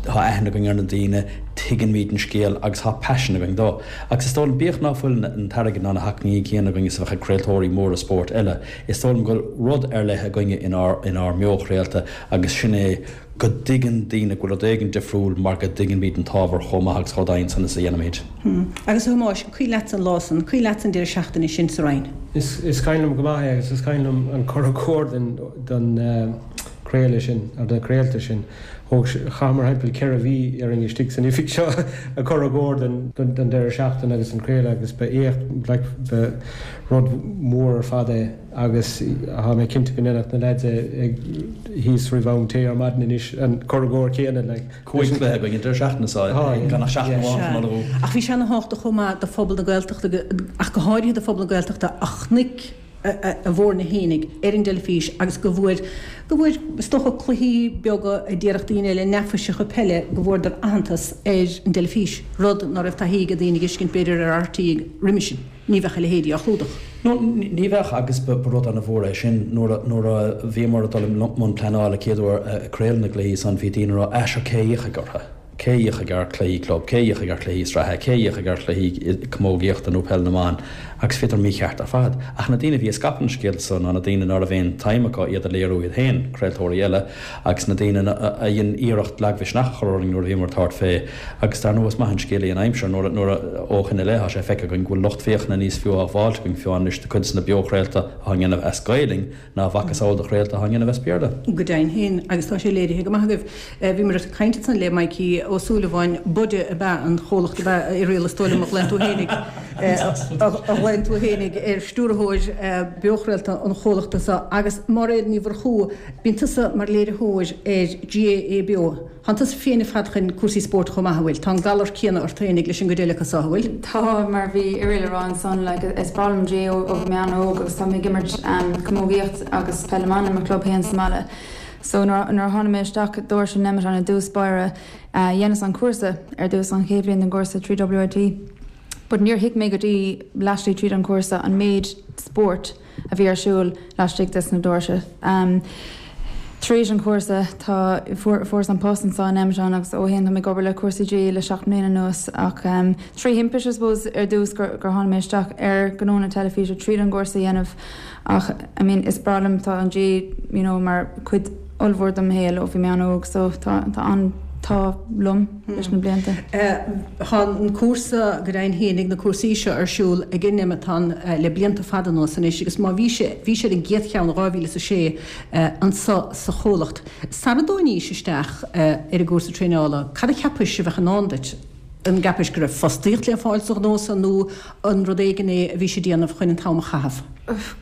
B: tá aithne againn ar na daoine, tuigimid an scéal agus tá paisean againn dó. Agus is dóigh liom, bíodh ná fuil an t-airgead ná na hacmhainní céanna againn is a bheadh ag craoltóirí móra spóirt eile, is dóigh liom go bhfuil rud ar leith againne inár mbeochraolta agus sin é go dtuigeann daoine go bhfuil rud éigin difriúil mar go dtuigimid an t-ábhar chomh maith agus chomh domhain san is a dhéanaimid.
A: Agus a Thomáis, an cuimhin leatsa an lá san, an cuimhin leatsa an deireadh seachtaine sin sa Rinn?
F: Is cuimhin liom go maith é agus is cuimhin liom an cur i gcóir den chraoladh sin, nó de na craolta sin. Thóg, chaitheamar thimpeall 4 mhí orainn istigh san oifig seo ag cur i gcóir don deireadh seachtaine agus an craoladh agus ba éacht, like, ba rud mór ar fad é. Agus tá mé cinnte go ndéanfadh na leaids ag thíos roimh am tae ar maidin anois an cur i gcóir céanna like.
B: 5 chluiche againn an deireadh seachtaine seo, gan ach seachtain amháin chun ullmhú.
A: Ach bhí sé ana thábhachtach chomh maith do phobal na Gaeltachta, ach go háirithe do phobal na Gaeltachta a chonaic a bhfoirne fhéinig ar an dteilifís agus go bhfuair, go bhfuair, is dócha cluichí beaga a déarfadh daoine eile, neafaiseacha peile, go bhfuaireadar aitheantas ar an dteilifís, rud ná raibh taithí ag daoine a fheiscint b'fhéidir ar RTÉ roimhe sin. Ní bheadh a leithéidí á chlúdach.
B: No, ní bheadh agus ba rud ana-mhór é sin. Nuair a, nuair a bhíomar ag dul i mbun pleanála chéad uair ag craoladh na gcluichí san, bhí daoine ag rá, ah sure cé a fhéachfaidh orthu? Cé a fhéachfaidh ar chluichí club? Cé a fhéachfaidh ar chluichí sraithe? Cé a fhéachfaidh ar chluichí camógaíochta nó peil na mban? Agus bhíodar mícheart ar fad. Ach na daoine a bhí ag scaipeadh na scéalta so ná na daoine ná raibh aon tsuim acu iad a léiriú iad féin, craoltóirí eile, agus na daoine a dhein iarracht lagmhisneach a chur orainn nuair a bhíomar ag tabhairt fé. Agus dar ndóigh is maith an scéal í an aimsir nuair a, nuair a, ó shin i leith tá sé feicthe againn go bhfuil lucht féachana níos fiú á bhfáilt againn fiú anois do cuid de na beochraolta atá á ndéanamh as Gaelainn ná a mhacasamhail de chraolta atá á ndéanamh as Béarla.
A: Go deimhin féin, agus tá sé léirithe go maith agaibh. Bhíomar ag caint ansan le Mikey Ó Súilleabháin, Bude ab ea an chomhlacht ab ea Irial is dóigh liom a ghlaonn tú fhéinig, a ghlaonn tú fhéinig ar stiúrthóir beochraolta an chomhlachta seo agus Máiréad Ní Mhurchú, Bíonn tusa mar léiritheoir ar GAA Beo. Tánn tusa féin ar fad chun cúrsaí spóirt chomh maith, an bhfuil? Tá an galar céanna ort fhéinig leis an gcuid eile acu so, an bhfuil?
I: Tá, mar bhí Irial a rá ansan, like, is breá liom GAA ó bhí mé an-óg agus tá mé ag imirt camógaíocht agus peil na mban i mo chlub féin sa mbaile. So nuair a tháinig mé isteach doirse Nemeton i dtús báire, dheineas an cúrsa ar dtús, an chéad bhliain den gcúrsa trí WIT. But níor thuig mé go dtí laistigh tríd an chúrsa an méid spóirt a bhí ar siúl laistigh des na doirse. Tar éis an chúrsa tá, fuaireas an post anseo in Nemeton agus ó shin tá mé ag obair le cúrsaí GAA le 7 mbliana anuas ach trí thimpiste I suppose ar dtús gur tháinig mé isteach ar gnó na teilifíse tríd an gcúrsa a dhéanamh ach I mean is breá liom tá an GAA you know mar chuid ollmhór de mo shaol ó bhí mé an-óg so tá tá an t-ádh liom leis na blianta.
A: Tá an cúrsa, go deimhin fhéinig, na cúrsaí seo ar siúl ag an Nemeton le blianta fada anuas anois agus má bhí sé, bhí sé ar an gcéad cheann i 2006 anso sa chomhlacht. Sara dtáinís isteach ar an gcúrsa traenála, cad a cheapais a bheadh i ndán duit? An gceapais go raibh fostaíocht le fáil sa ghnó so nó an rud éigin é a bhís ag déanamh chun an t-am a chaitheamh?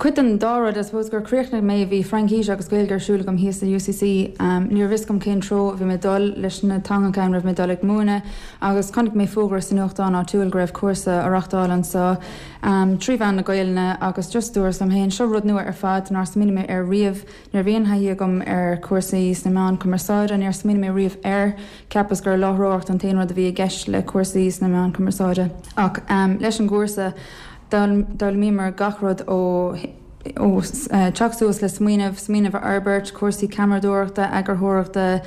I: Cuid den dá rud, I suppose gur chríochnaigh mé, bhí Fraincís agus Gaeilge ar siúl agam thíos i UCC. Ní raibh fhios agam cén treo a bhí mé ag dul leis na teangacha, an raibh mé ag dul ag múineadh agus chonaic mé fógra sa nuachtán áitiúil go raibh cúrsa á reachtáil anseo trí mheán na Gaelainne agus just dúras liom féin, seo rud nua ar fad nár smaoinigh mé air riamh. Ní raibh aon thaithí agam ar chúrsaí sna meáin cumarsáide, níor smaoinigh mé riamh air. Cheapas gur láithreoireacht an t-aon rud a bhí i gceist le cúrsaí sna meáin cumarsáide. Ach leis an gcúrsa, d'fhoghlaimíomar gach rud ó ó teacht suas le smaoineamh, smaoineamh a fhorbairt, cúrsaí ceamaradóireachta, eagarthóireachta,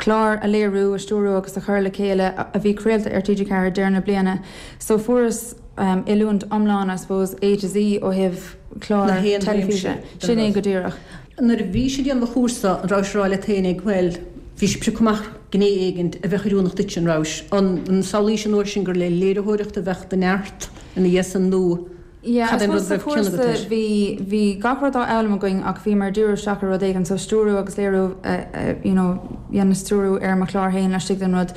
I: clár a léiriú, a stiúrú agus a chur le chéile a bhí craolta ar TG4 deireadh na bliana. So fuaireas oiliúint iomlán, I suppose, A to Z ó thaobh clár teilifíse. Sin é go díreach.
A: Nuair a bhís ag déanamh an chúrsa, an rabhais ag rá leat fhéinig, bhuel, bhí sibh ag piocadh amach gné éigint a bheadh oiriúnach duitse, an rabhais? An samhlaís an uair sin gur le léiritheoireacht a bheadh do neart ina dhiaidh san nó
I: Yeah,
A: cad
I: I
A: é an rud
I: suppose sa
A: a raibh cion agat
I: chúrsa
A: air?
I: bhí, bhí gach rud á fhoghlaim againn ach bhíomar ag díriú isteach ar rud éigin, so stiúrú agus léiriú, you know. dhéanamh stiúrú ar mo chlár féin laistigh den rud.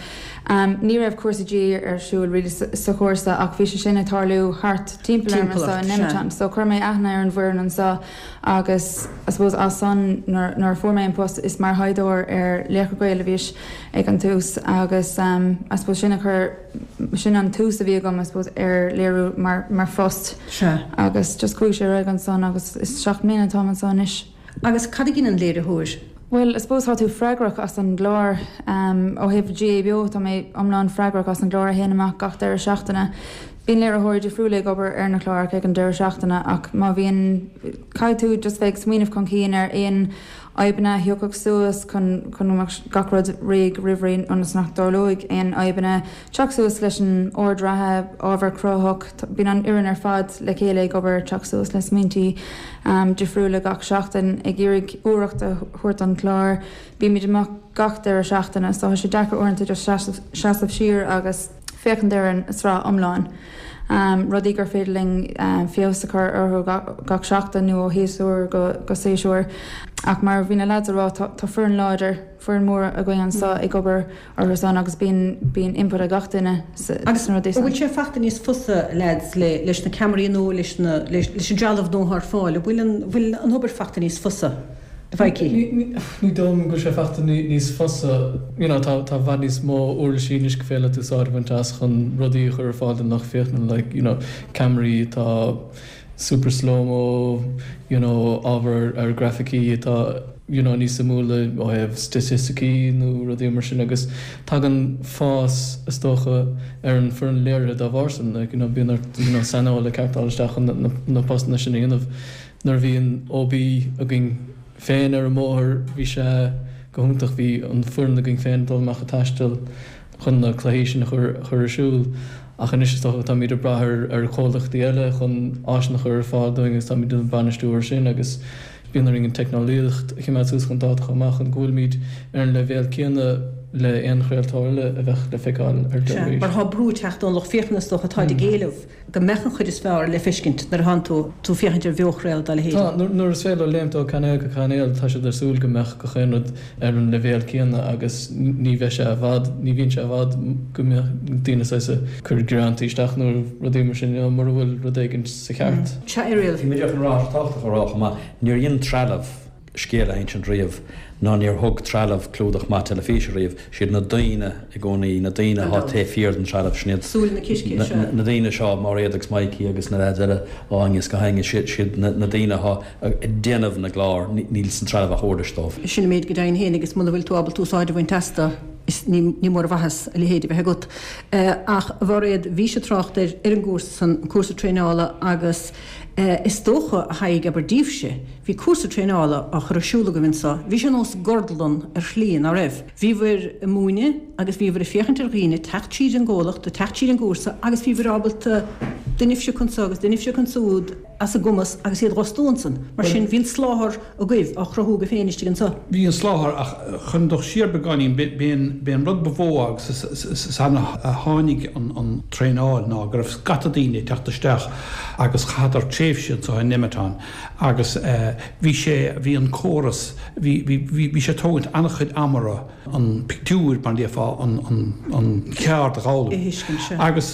I: Ní raibh cúrsa GAA ar siúl really sa chúrsa ach bhí sé sin ag tarlú thart timpeall orm anseo i Nemeton. So chuir mé aithne ar an bhfoireann anseo agus I suppose as san nuair a fuair mé an post is mar thaighdeoir ar Laochra Gael a bhíos ag an tús agus I suppose sin a chuir sin an tús a bhí agam I suppose ar léiriú mar mar phost.
A: Sea.
I: Agus just chuaigh sé ar aghaidh ansan agus is 7 mbliana atáim anseo anois.
A: Agus cad a dheineann léiritheoir?
I: Bhuel, I suppose tá tú freagrach as an gclár. Ó thaobh GAA Beo, tá mé iomlán freagrach as an gclár a théann amach gach deireadh seachtaine. Bíonn léiritheoirí difriúla ag obair ar na cláracha ag an deireadh seachtaine ach má bhíonn, caithfidh tú just bheith ag smaoineamh chun cinn ar aon fhadhbanna a thiocfadh suas chun chun go mbeadh gach rud réidh roimh ré ionas nach dtarlóidh aon fhadhbanna. Teacht suas leis an ord reatha, ábhar cruthaitheach, bíonn an fhoireann ar fad le chéile ag obair, teacht suas le smaointí difriúla gach seachtain, ag iarraidh úireacht a thabhairt don chlár. Bímid amach gach deireadh seachtaine so tá sé deacair uaireanta just seasamh siar agus féachaint ar an sraith iomlán. Rudaí gur féidir linn feabhas a chur orthu gach seachtain nó ó shéasúr go séasúr. Ach mar a bhí na lads a rá, tá foireann láidir, foireann mór againn anseo ag obair orthu san agus bíonn, bíonn input ag gach duine
A: Agus
I: sna rudaí
A: an
I: san.
A: bhfuil sé fachta níos fusa, lads, le, leis na ceamaraí nua, leis na, leis, leis an dtrealamh nua atá ar fáil, an bhfuil an, bhfuil an obair fachta níos fusa, a Mhaidhcí?
G: Ní, ní, ní dóigh liom go bhfuil sé fachta ní, níos fusa. You know, tá, tá i bhfad níos mó uirlisí anois gur féidir leat úsáid a bhaint as chun rudaí a chur ar fáil don lucht féachana, like, you know, ceamaraí atá super slow-mo, you know, ábhar ar grafaicí atá, you know, níos suimiúla ó thaobh staitisticí nó rudaí mar sin agus tagann fás, is dócha, ar an foireann léirithe dá bharr sin, like, you know, bíonn ort, you know, saineolaithe ceart a fháil isteach chun na, na postanna sin a dhéanamh. Nuair a bhí an OB againn féin ar an mbóthar bhí sé go hiontach, bhí an foireann againn féin ag dul amach ag taisteal chun na cluichí sin a chur ar siúl ach anois is dócha táimid ag brath ar ar chomhlachtaí eile chun áiseanna a chur ar fáil dúinn agus táimid ag bainistiú air sin agus bíonn orainn an teicneolaíocht a choimeád suas chun dáta chomh maith chun go bhfuilimid ar an leibhéal céanna le aon chraoltóir eile a bheadh le feiceáil ar
A: Sea,
G: teilifís.
A: mar tá brú ag teacht ón lucht féachana is dócha, táid ag éileamh. go mbeadh an chuid is fearr le feiscint nuair a thánn tú tú féachaint ar bheochraoladh dá leithéid.
G: Tá, nuair is féidir leo léimt ó cainéal go cainéal, tá siad ag súil go mbeadh gach aon rud ar an leibhéal céanna agus ní bheidh sé i bhfad, ní bhíonn sé i bhfad go mbeadh daoine saghas ag cur gearántaí isteach nó rudaí mar sin, you know, mura bhfuil rud éigin sa cheart.
A: Sea, Irial.
B: Bhí mé díreach chun rá, tá sé tábhachtach a rá chomh maith, níor dhein trealamh scéal a insint riamh ná níor thug trealamh clúdach maith teilifíse riamh. Siad na daoine i gcónaí, na daoine atá taobh thiar den trealamh, sin iad
A: Súil na císte, sea.
B: na daoine seo, Máiréad agus Mikey agus na leaids eile ó Aengus go hAengus, siad siad na daoine atá ag déanamh na gclár, níl san trealamh ach uirlis dóibh.
A: Sin an méid go deimhin féin agus muna bhfuil tú ábalta úsáid a bhaint astu, is ní ní mór an mhaitheas a leithéid a bheith agat. Ach, a Mháiréad, bhís ag trácht ar ar an gcúrsa san, an cúrsa traenála agus is dócha, a Thaidhg, abair daoibhse, Bhí cúrsa traenála á chur ar siúl agaibh anso. Bhí sé ar nós gortlann ar shlí, ná raibh? Bhíobhair ag múineadh agus bhíobhair ag féachaint ar dhaoine teacht tríd an gcomhlacht, ag teacht tríd an gcúrsa agus bhíobhair ábalta duine a phiocadh anso agus duine a phiocadh ansúd as a gcumas agus iad dh'fhostú ansan. Mar sin, bhí an soláthar agaibh á chruthú agaibh féin istigh anso.
C: Bhí an soláthar ach chun dul siar beagáinín, b'é an rud ba mhó agus is ann a tháinig an traenáil ná go raibh scata daoine ag teacht isteach agus chaitheadar tréimhse anso i Nemeton Agus bhí sé, bhí an córas, bhí, bhí, bhí, bhí sé ag tógaint an-chuid ama orthu an pictiúr, mar a déarfá, an, an, an cheard a
A: dh'fhoghlaim. A thuiscint, sea.
C: Agus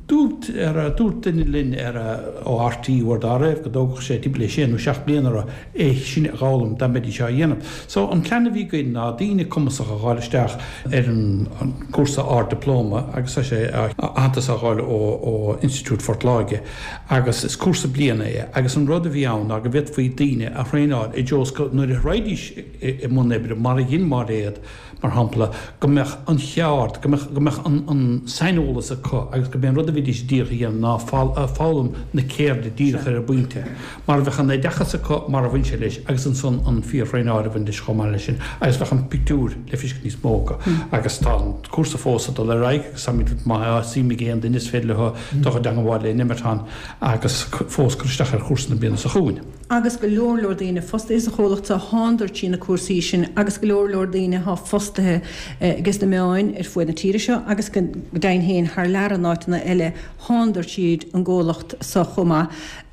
C: dúirt, ar, dúirt duine linn ar, ó RTÉ uair dá raibh, go dtógfadh sé timpeall le sé nó seacht mbliana orthu é sin a dh'fhoghlaim dá mbeidís á dhéanamh. So, an plean a bhí againn ná daoine cumasacha a dh'fháil isteach ar an, an cúrsa Ard-Dioplóma agus tá sé, aitheantas á dh'fháil ó, ó Institiúid Phort Láirge. Agus is cúrsa bliana é agus an rud a bhí ann ná go bhféadfaí daoine a thraenáil i dtreo is go nuair a raghaidís i mbun oibre, mar a dhein Máiréad, mar shampla, go mbeadh an cheard, go mbeadh, go mbeadh an, an saineolas acu agus go mb'é an rud a bhídís díreach a dhéanamh ná foghlaim na ceirde díreach ar an bpointe. Mar bheadh an oideachas acu mar a bhain sé leis agus ansan an fíor-thraenáil a bhain leis chomh maith leis sin agus bheadh an pictiúr le feiscint níos mó acu. Agus tá an cúrsa fós ag dul ar aghaidh agus táimid, má tá suim ag aon duine is féidir leo dul i dteangmháil le Nemeton agus fós cur isteach ar chúrsa na bliana seo chugainn.
A: Agus go leor leor daoine fostaithe sa chomhlacht so thándar trí na cúrsaí sin agus go leor leor daoine athá fostaithe ages na meáin ar fuaid na tíre seo agus go deimhin féin thar lear in áiteanna eile thándar tríd an gcomhlacht so chomh maith.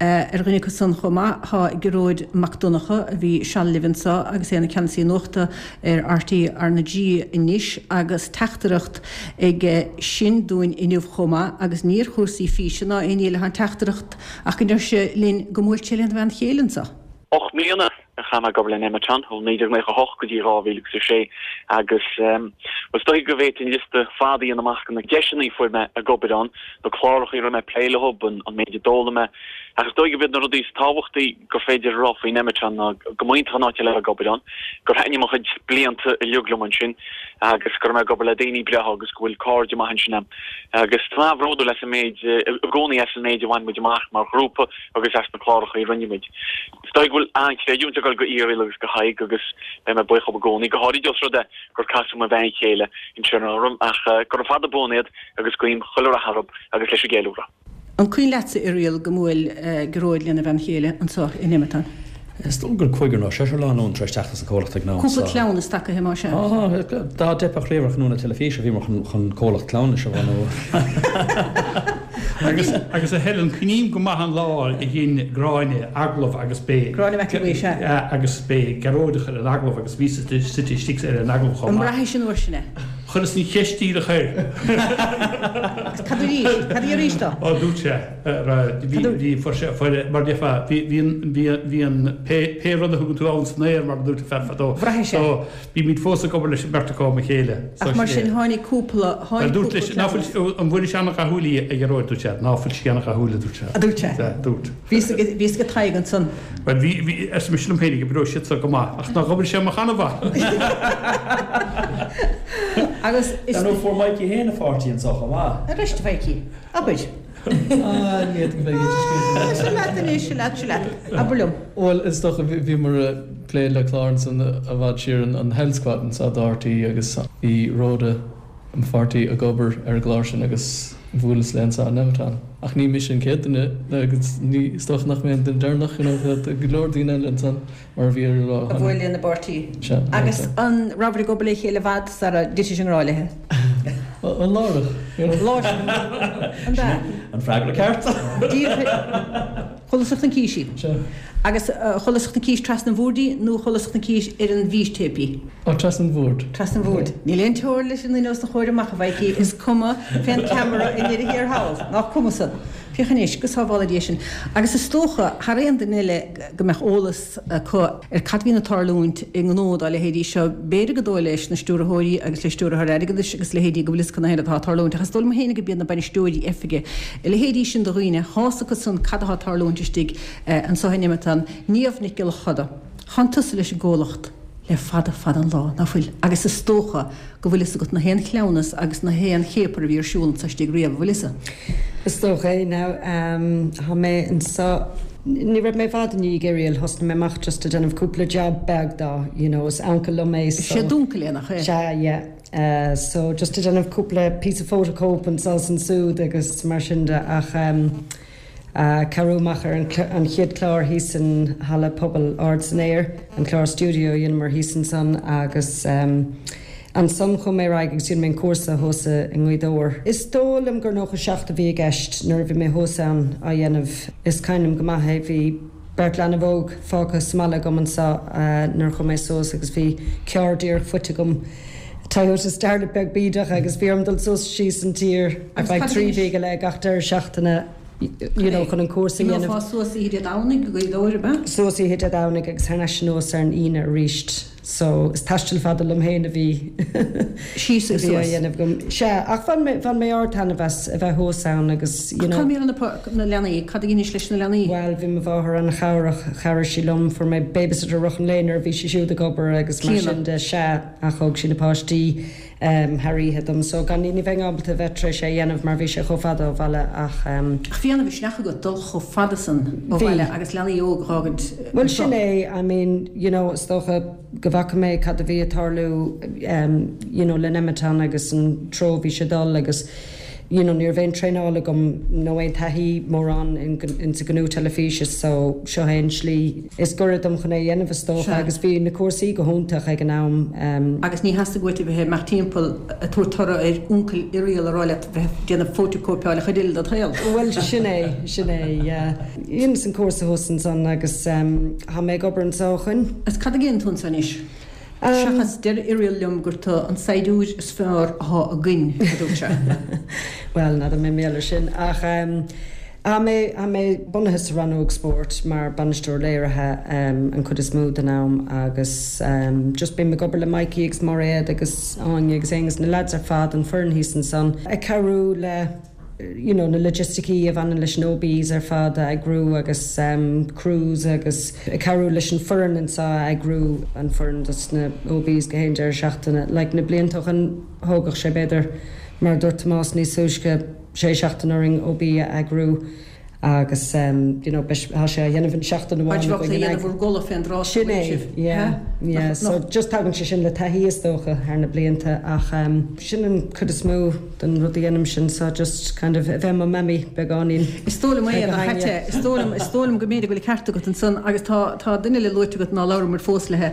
A: Ar dhuine acu san chomh maith tá Gearóid Mac Donncha a bhí seal libh anseo agus é ina Cheannasaí Nuachta ar RTÉ RnaG anois agus teachtaireacht aige sin dúinn inniu chomh maith agus ní ar chúrsaí físe ná aon ní eile atá an teachtaireacht ach go ndeir sé linn go mbuail sé lena bhean chéile anseo.
J: 8 mbliana a chaith mé ag obair le Nemeton, ó 1998 go dtí 2006, agus bhuel, is dóigh go bhféadfainn liosta fada a dhéanamh amach de na deiseanna a fuair mé ag obair ann, na cláracha a raibh mé ag plé leo, an méid a d'fhoghlaim mé. Ach is dóigh gurb iad na rudaí is tábhachtaí gur féidir a rá faoi Nemeton ná go mb'iontach an áit é le bheith ag obair ann, gur thaitnigh mo chuid blianta uilig liom ansin agus go raibh mé ag obair le daoine breátha agus go bhfuil cairde maithe ansin a'm. Agus tá mé an-bhródúil as an méid, i gcónaí as an méid a bhain muid amach mar ghrúpa agus as na cláracha a rinne muid. Is dóigh go bhfuil an-chreidiúint ag dul go Irial agus go Tadhg agus beidh mé buíoch dhób i gcónaí, go háirid os rud é gur casadh mo bhean chéile ansin orm, ach gura fada buan iad agus guím chuile rath orthub agus leis an gceiliúradh.
A: An cuimhin leatsa, Irial, go mbuail Gearóid lena bhean chéile anseo i Nemeton?
B: Is dóigh gur cúigear nó seisear lánúin tar éis teacht as an comhlacht ag an am
A: so. Cúpla cleamhnas tagaithe más ea.
B: Dá dteipfeadh riamh ar ghnó na teilifíse bhíomar chun comhlacht cleamhnais a bhunú.
C: Agus, agus a Helen, cuimhním go maith an lá a dhein Gráinne agallamh agus b'é.
A: Gráinne McElwee, sea.
C: Agus b'é Gearóid a chuir an agallamh agus bhíos suite istigh ar an agallamh chomh
A: maith. An mbraithis an uair sin é?
C: Chuireas an cheist díreach air.
A: Agus cad arís? Cad í arís dó?
C: Ó, dúirt sé, bhí, bhí, fuair sé, fuair, mar déarfá, bhí, bhí an, bhí, bhí an, pé, pé rud a thugann tú ann san aer, mar a dúirt an fear fadó.
A: Bhraithis é.
C: So, Bímid fós ag obair leis an mbeirt acu am a chéile.
A: Ach mar sin, tháinig cúpla, tháinig
C: cúpla cleamhnas. Ná fuil, an bhfuil sé ana-dhathúil í, a Ghearóid, dúirt sé. Ná fuil sí ana-dhathúil, a dúirt sé.
A: A dúirt sé.
C: Sea, dúirt.
A: Bhí fhios ag, bhí fhios ag Tadhg ansan.
C: Bhuel, bhí, bhí, arsa mise liom féinig, oibreoidh siad seo go maith. Ach nár dh'oibrigh sé amach ana-mhaith.
A: Agus
B: is. Dar ndóigh, fuair Mikey féin a pháirtí anso chomh maith.
A: Arís, a Mhikey, abair.
G: Ah, ní fhéadfainn bheith ag
A: insint. Sin leat anois, sin leat, sin leat. Abair liom.
G: Bhuel, is dócha, bhíomar ag plé le clár ansan i bhfad siar, an Health Squad anso do RTÉ agus bhí Rhoda, mo pháirtí, ag obair ar an gclár sin agus bhuaileas léi anso i Nemeton. Ach ní mise an chéad duine agus ní, is dócha nach mé an duine deireanach, you know, tá go leor daoine eile ansan.
A: Mar a bhí ar lá. A bhuail lena bpáirtí.
G: Sea.
A: Agus an rabhair ag obair le chéile i bhfad sara dtitfidh i ngrá léi?
G: An láithreach.
A: Láithreach. An ea?
B: An freagra ceart.
A: Díreach. Chualas an cís í.
G: Sea.
A: Agus chualas an cís trasna an bhoird í nó chualas an cís ar an bhfístéip í?
G: Ó, trasna an bhoird.
A: Trasna an bhoird. Níl aon teorainn leis an duine os do chomhair amach, a Mhaidhcí, is cuma fén ceamara i ndeireadh thiar thall. Nach cuma san. Féach anois, go sábhála Dia sinn. Agus is dócha, thar aon duine eile, go mbeadh eolas acu ar cad a bhíonn ag tarlúint i ngnó dá leithéidí seo. B'fhéidir gur dóigh leis na stiúrthóirí agus le stiúrthóir airgeadais agus leithéidí go bhfuil fhios acu na atá ag tarlúint, ach is dóigh liom féin gurb iad na bainisteoirí oifige, a leithéidí sin de dhaoine, tá's acu san cad atá ag tarlúint istigh anso in Nemeton. Niamh Nic Giolla Choda, Tánn tusa leis an gcomhlacht le fada fada an lá, ná fuil? Agus is dócha go bhfuil fhios agat na haon chleamhnas agus na haon chéapar a bhí ar siúl anso istigh riamh, an bhfuil fhios?
K: Is dócha é now. Tá mé anso, ní raibh mé i bhfad i ndiaidh Irial, thosnaigh mé amach just ag déanamh cúpla job beag dó, you know, is uncail liom é
A: so. Sé d'uncail é, nach
K: é? Sea, yeah. So just ag déanamh cúpla píosa photocóip anso is ansúd agus mar sin de ach. Cabhrú amach ar an chéad chlár thíos in Halla Pobail Ard san Aer, an clár stiúideo a dheineamar thíos ansan agus ansan chuaigh mé ar aghaidh agus dhein mé an cúrsa thuas i nGaoth Dobhair. Is dóigh liom gur 97 a bhí i gceist nuair a bhí mé thuas ann á dhéanamh. Is cuimhin liom go maith é, bhí beirt leanbh óg fágtha sa mbaile agam anso nuair a chuaigh mé suas agus bhí carr díreach faighte agam, Toyota Starlet beag bídeach agus bhí orm dul suas síos an tír ar feadh 3 mhí go leith gach deireadh seachtaine you know chun an cúrsa a dhéanamh.
A: Imeofá suas oíche Dé Domhnaigh go Gaoth Dobhair, ab ea?
K: Suas oíche Dé Domhnaigh agus thar n-ais anuas ar an Aoine aríst. So is taisteal fada liom féin a bhí
A: Síos
K: agus
A: suas.
K: á dhéanamh agam. Sea, ach bhain mé, bhain mé ard-taitneamh as a bheith thuas ann agus you
A: Ach
K: know.
A: cá mbíonn na leanaí? Cad a dheinis leis na leanaí?
K: Bhuel, bhí mo mháthair an-chabhrach, chabhraigh sí liom, fuair mé babysitter i rith an lae nuair a bhí sí siúd ag obair agus mar
A: Clíona.
K: sin de, sea. Ach thóg sí na páistí thar oíche dom so gan ní bheinn ábalta a bheith tar éis é a dhéanamh mar bhí sé chomh fada ó bhaile ach.
A: Ach bhí an-mhisneach agat dul chomh fada san ó
K: Bhí.
A: bhaile agus leanaí óg a dh'fhágaint
K: Bhuel
A: anseo.
K: sin é, I mean, you know, is dócha go bhfaca mé cad a bhí ag tarlú you know le Nemeton agus an treo a bhí sé ag dul agus. you know ní raibh aon traenáil agam nó aon taithí mórán in sa ghnó teilifíse so seo é an slí is gaire dom chun é a dhéanamh is dócha agus bhí na cúrsaí go hiontach ag an am.
A: Agus ní theastaigh uait a bheith ag imeacht timpeall ag tabhairt toradh ar uncail Irial a rá leat bheith ag déanamh fótacóipeáil an chuid eile dod shaol.
K: Bhuel sin é, sin é, yeah. Dheineas an cúrsa thuas ansan agus tá mé ag obair anseo ó shoin.
A: Agus cad a dhéanann tú anso anois? Seachas deir Irial liom gur tu an saighdiúir is fearr athá againn, a dúirt sé.
K: Bhuel, n'fheadar mé mar gheall air sin, ach tá mé, tá mé bunaithe sa rannóg spóirt mar bainisteoir léirithe an chuid is mó den am agus just bím ag obair le Mikey agus Máiréad agus Áine agus Aonghus, na lads ar fad, an foireann thíos ansan, ag cabhrú le. you know na logisticí a bhaineann leis na OBs ar fad a eagrú agus crews agus ag cabhrú leis an foireann anseo a eagrú, an foireann dos na OBs gach aon deireadh seachtaine. Like na blianta ó shoin thógadh sé b'fhéidir mar a dúirt Tomás níos túisce sé seachtain orainn OB a eagrú. Agus you know beidh tá sé á dhéanamh in seachtain amháin
A: againn. Bheadh sé á dhéanamh bhur gcodladh fén dtráth
K: Sin é, yeah, yeah. So just tagann sé sin le taithí is dócha thar na blianta ach sin an cuid is mó den rud a dhéanaimse anseo just kind of a bheith i mo mhammy beagáinín.
A: Is dóigh liom é, nach ait é? Is dóigh liom, is dóigh liom go mb'fhéidir go bhfuil an ceart agat ansan agus tá, tá duine eile luaite agat ná labhramar fós léi,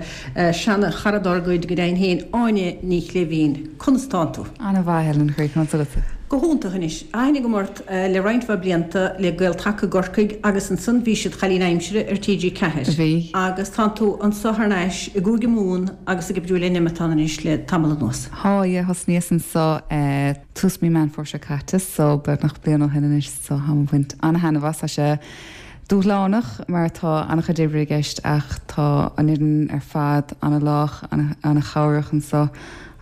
A: seana chara dár gcuid go deimhin féin, Áine Ní Chléibhín. Conas tánn tú?
I: Ana-mhaith, Helen, a chroí, conas agatsa?
A: Go hiontach anois. Aithne agam ort le roinnt mhaith blianta le Gael-Taca i gCorcaigh agus ansan bhís id chailín aimsire ar TG4.
I: Bhí.
A: Agus tánn tú anso thar n-ais i gCúige Mumhan agus ag oibriú le Nemeton anois le tamall anuas.
I: Thá, yeah, thosnaíos anso tús mí Meán Fómhair seo caite so beagnach bliain ó shin anois so tháim ag baint ana-thaitneamh as. Tá sé dúshlánach mar tá ana-chuid oibre i gceist ach tá an fhoireann ar fad ana-lách, ana-chabhrach anso.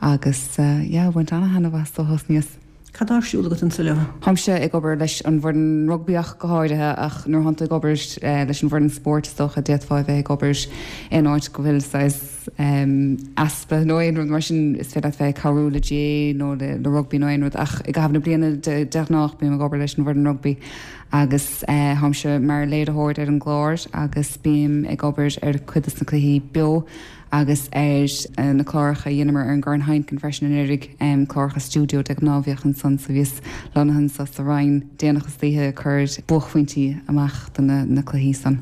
I: Agus yeah, ag baint ana-thaitneamh as ó thosnaíos.
A: Cad tá ar siúl agat anso leo?
I: Táimse ag obair leis an bhfoireann rugbaí ach go háirithe ach nuair atánn tú ag obair leis an bhfoireann spóirt is dócha d'fhéadfá a bheith ag obair in áit go bhfuil saghas easpa nó aon rud mar sin is féidir leat bheith ag cabhrú le GAA nó le rugbaí nó aon rud ach i gcaitheamh na bliana de ghnáth bím ag obair leis an bhfoireann rugbaí agus táimse mar léiritheoir ar an gclár agus bím ag obair ar cuid de na cluichí beo agus ar na cláracha a dheineamar ar an gCorn Heineken freisin anuraidh, cláracha stiúideo de ghnáth bhíodh ansan so bhíos lonnaithe anso sa Rinn déanach istoíche ag cur buaicphointí amach do na cluichí san.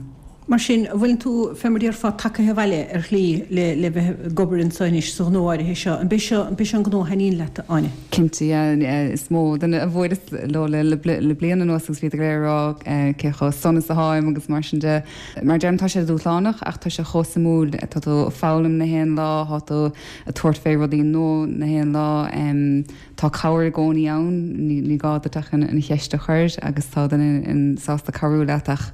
A: Mar sin, an bhfuileann tú, fé mar déarfá, tagaithe abhaile ar shlí le le bheith ag obair anso anois sa ghnó áirithe seo? An b'é seo, an b'é seo an gnó a thaitníonn leat, a Áine?
I: Cinnte, yeah. Is mó duine a bhuaileas leo le le bliain anuas agus bhíodar go léir ag rá cé chomh sona is atáim agus mar sin de. Mar a deirim, tá sé dúshlánach ach tá sé chomh suimiúil. Tá tú ag foghlaim na haon lá, tá tú ag tabhairt fé rudaí nua na haon lá. Tá cabhair i gcónaí ann, ní gá duit ach an cheist a chur agus tá duine sásta cabhrú leat ach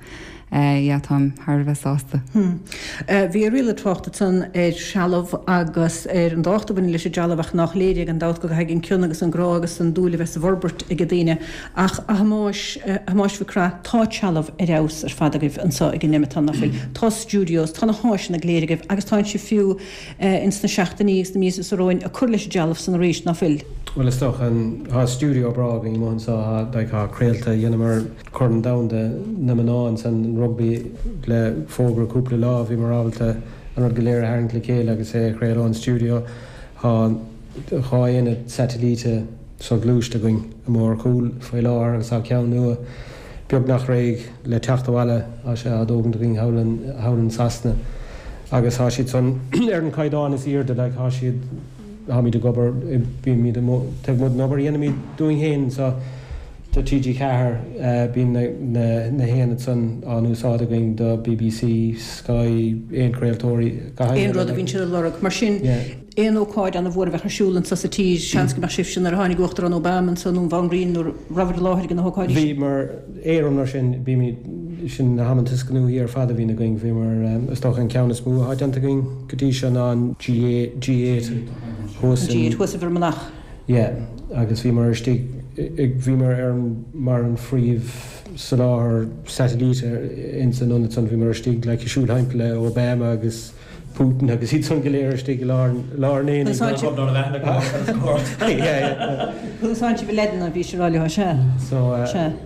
I: yeah, táim thar a bheith sásta.
A: Bhí Irial ag trácht ansan ar threalamh agus ar an dtábhacht a bhaineann leis an dtrealamh ach nách léir é gan dabht go gcaithfidh an cion agus an grá agus an dúil a bheith sa bhforbairt ag daoine. Ach, a Thomáis, a Thomáis Mhic Craith, tá trealamh ar fheabhas ar fad agaibh anso ag an Nemeton, nach bhfuil? Tá studios, tá na háiseanna go léir agaibh agus tánn sibh fiú ins na seachtainí agus na míosa so romhainn ag cur leis an dtrealamh san arís, ná fuil?
F: Bhuel, is dócha, tá studio breá againn amuigh anso, tá, like, tá craolta, dheineamar Corn Domhanda na mná ansan, an rugbaí le fógra cúpla lá, bhíomar ábalta an rud go léir a tharraingt le chéile agus é a chraoladh ón stiúideo. Tá 2 aonad satailíte soghluaiste againn amuigh ar chúl faoi láthair agus tá ceann nua beagnach réidh le teacht abhaile, tá sé á dtógaint againn thall in, thall in Sasana agus tá siad san ar an caighdeán is airde, like tá siad, táimid ag obair, bímid amuigh, taobh amuigh den obair a dhéanaimid dúinn féin anseo do TG4, bíonn na, na, na haonaid san á n-úsáid againn do BBC, Sky, aon chraoltóirí,
A: gach aon rud a bhíonn siad ag lorg. Mar sin. Aon ócáid ana-mhór a bheadh ar siúl anso sa tír, seans go mbeadh sibhse nuair a tháinig Uachtarán Obama anso nó an Bhanríon nó rabhaibh i láthair ag na hócáidí
F: sin. Bhíomar, éirim mar sin, bímid, sin na hamanta is gnóthaí ar fad a bhíonn againn, bhíomar, is dócha an ceann is mó atá déanta againn go dtí seo ná an G8
A: thuas in. An G8 thuas i bhFear Manach.
F: Yeah, agus bhíomar istigh, bhíomar ar an, mar an phríomh soláthar satailíte ins an ionad san, bhíomar istigh like ag siúl thimpeall le Obama agus Putin agus iad san go léir istigh i lár an aonaigh.
A: Úsáid sibh a leideanna, bhí sé rá leo, sea.
F: So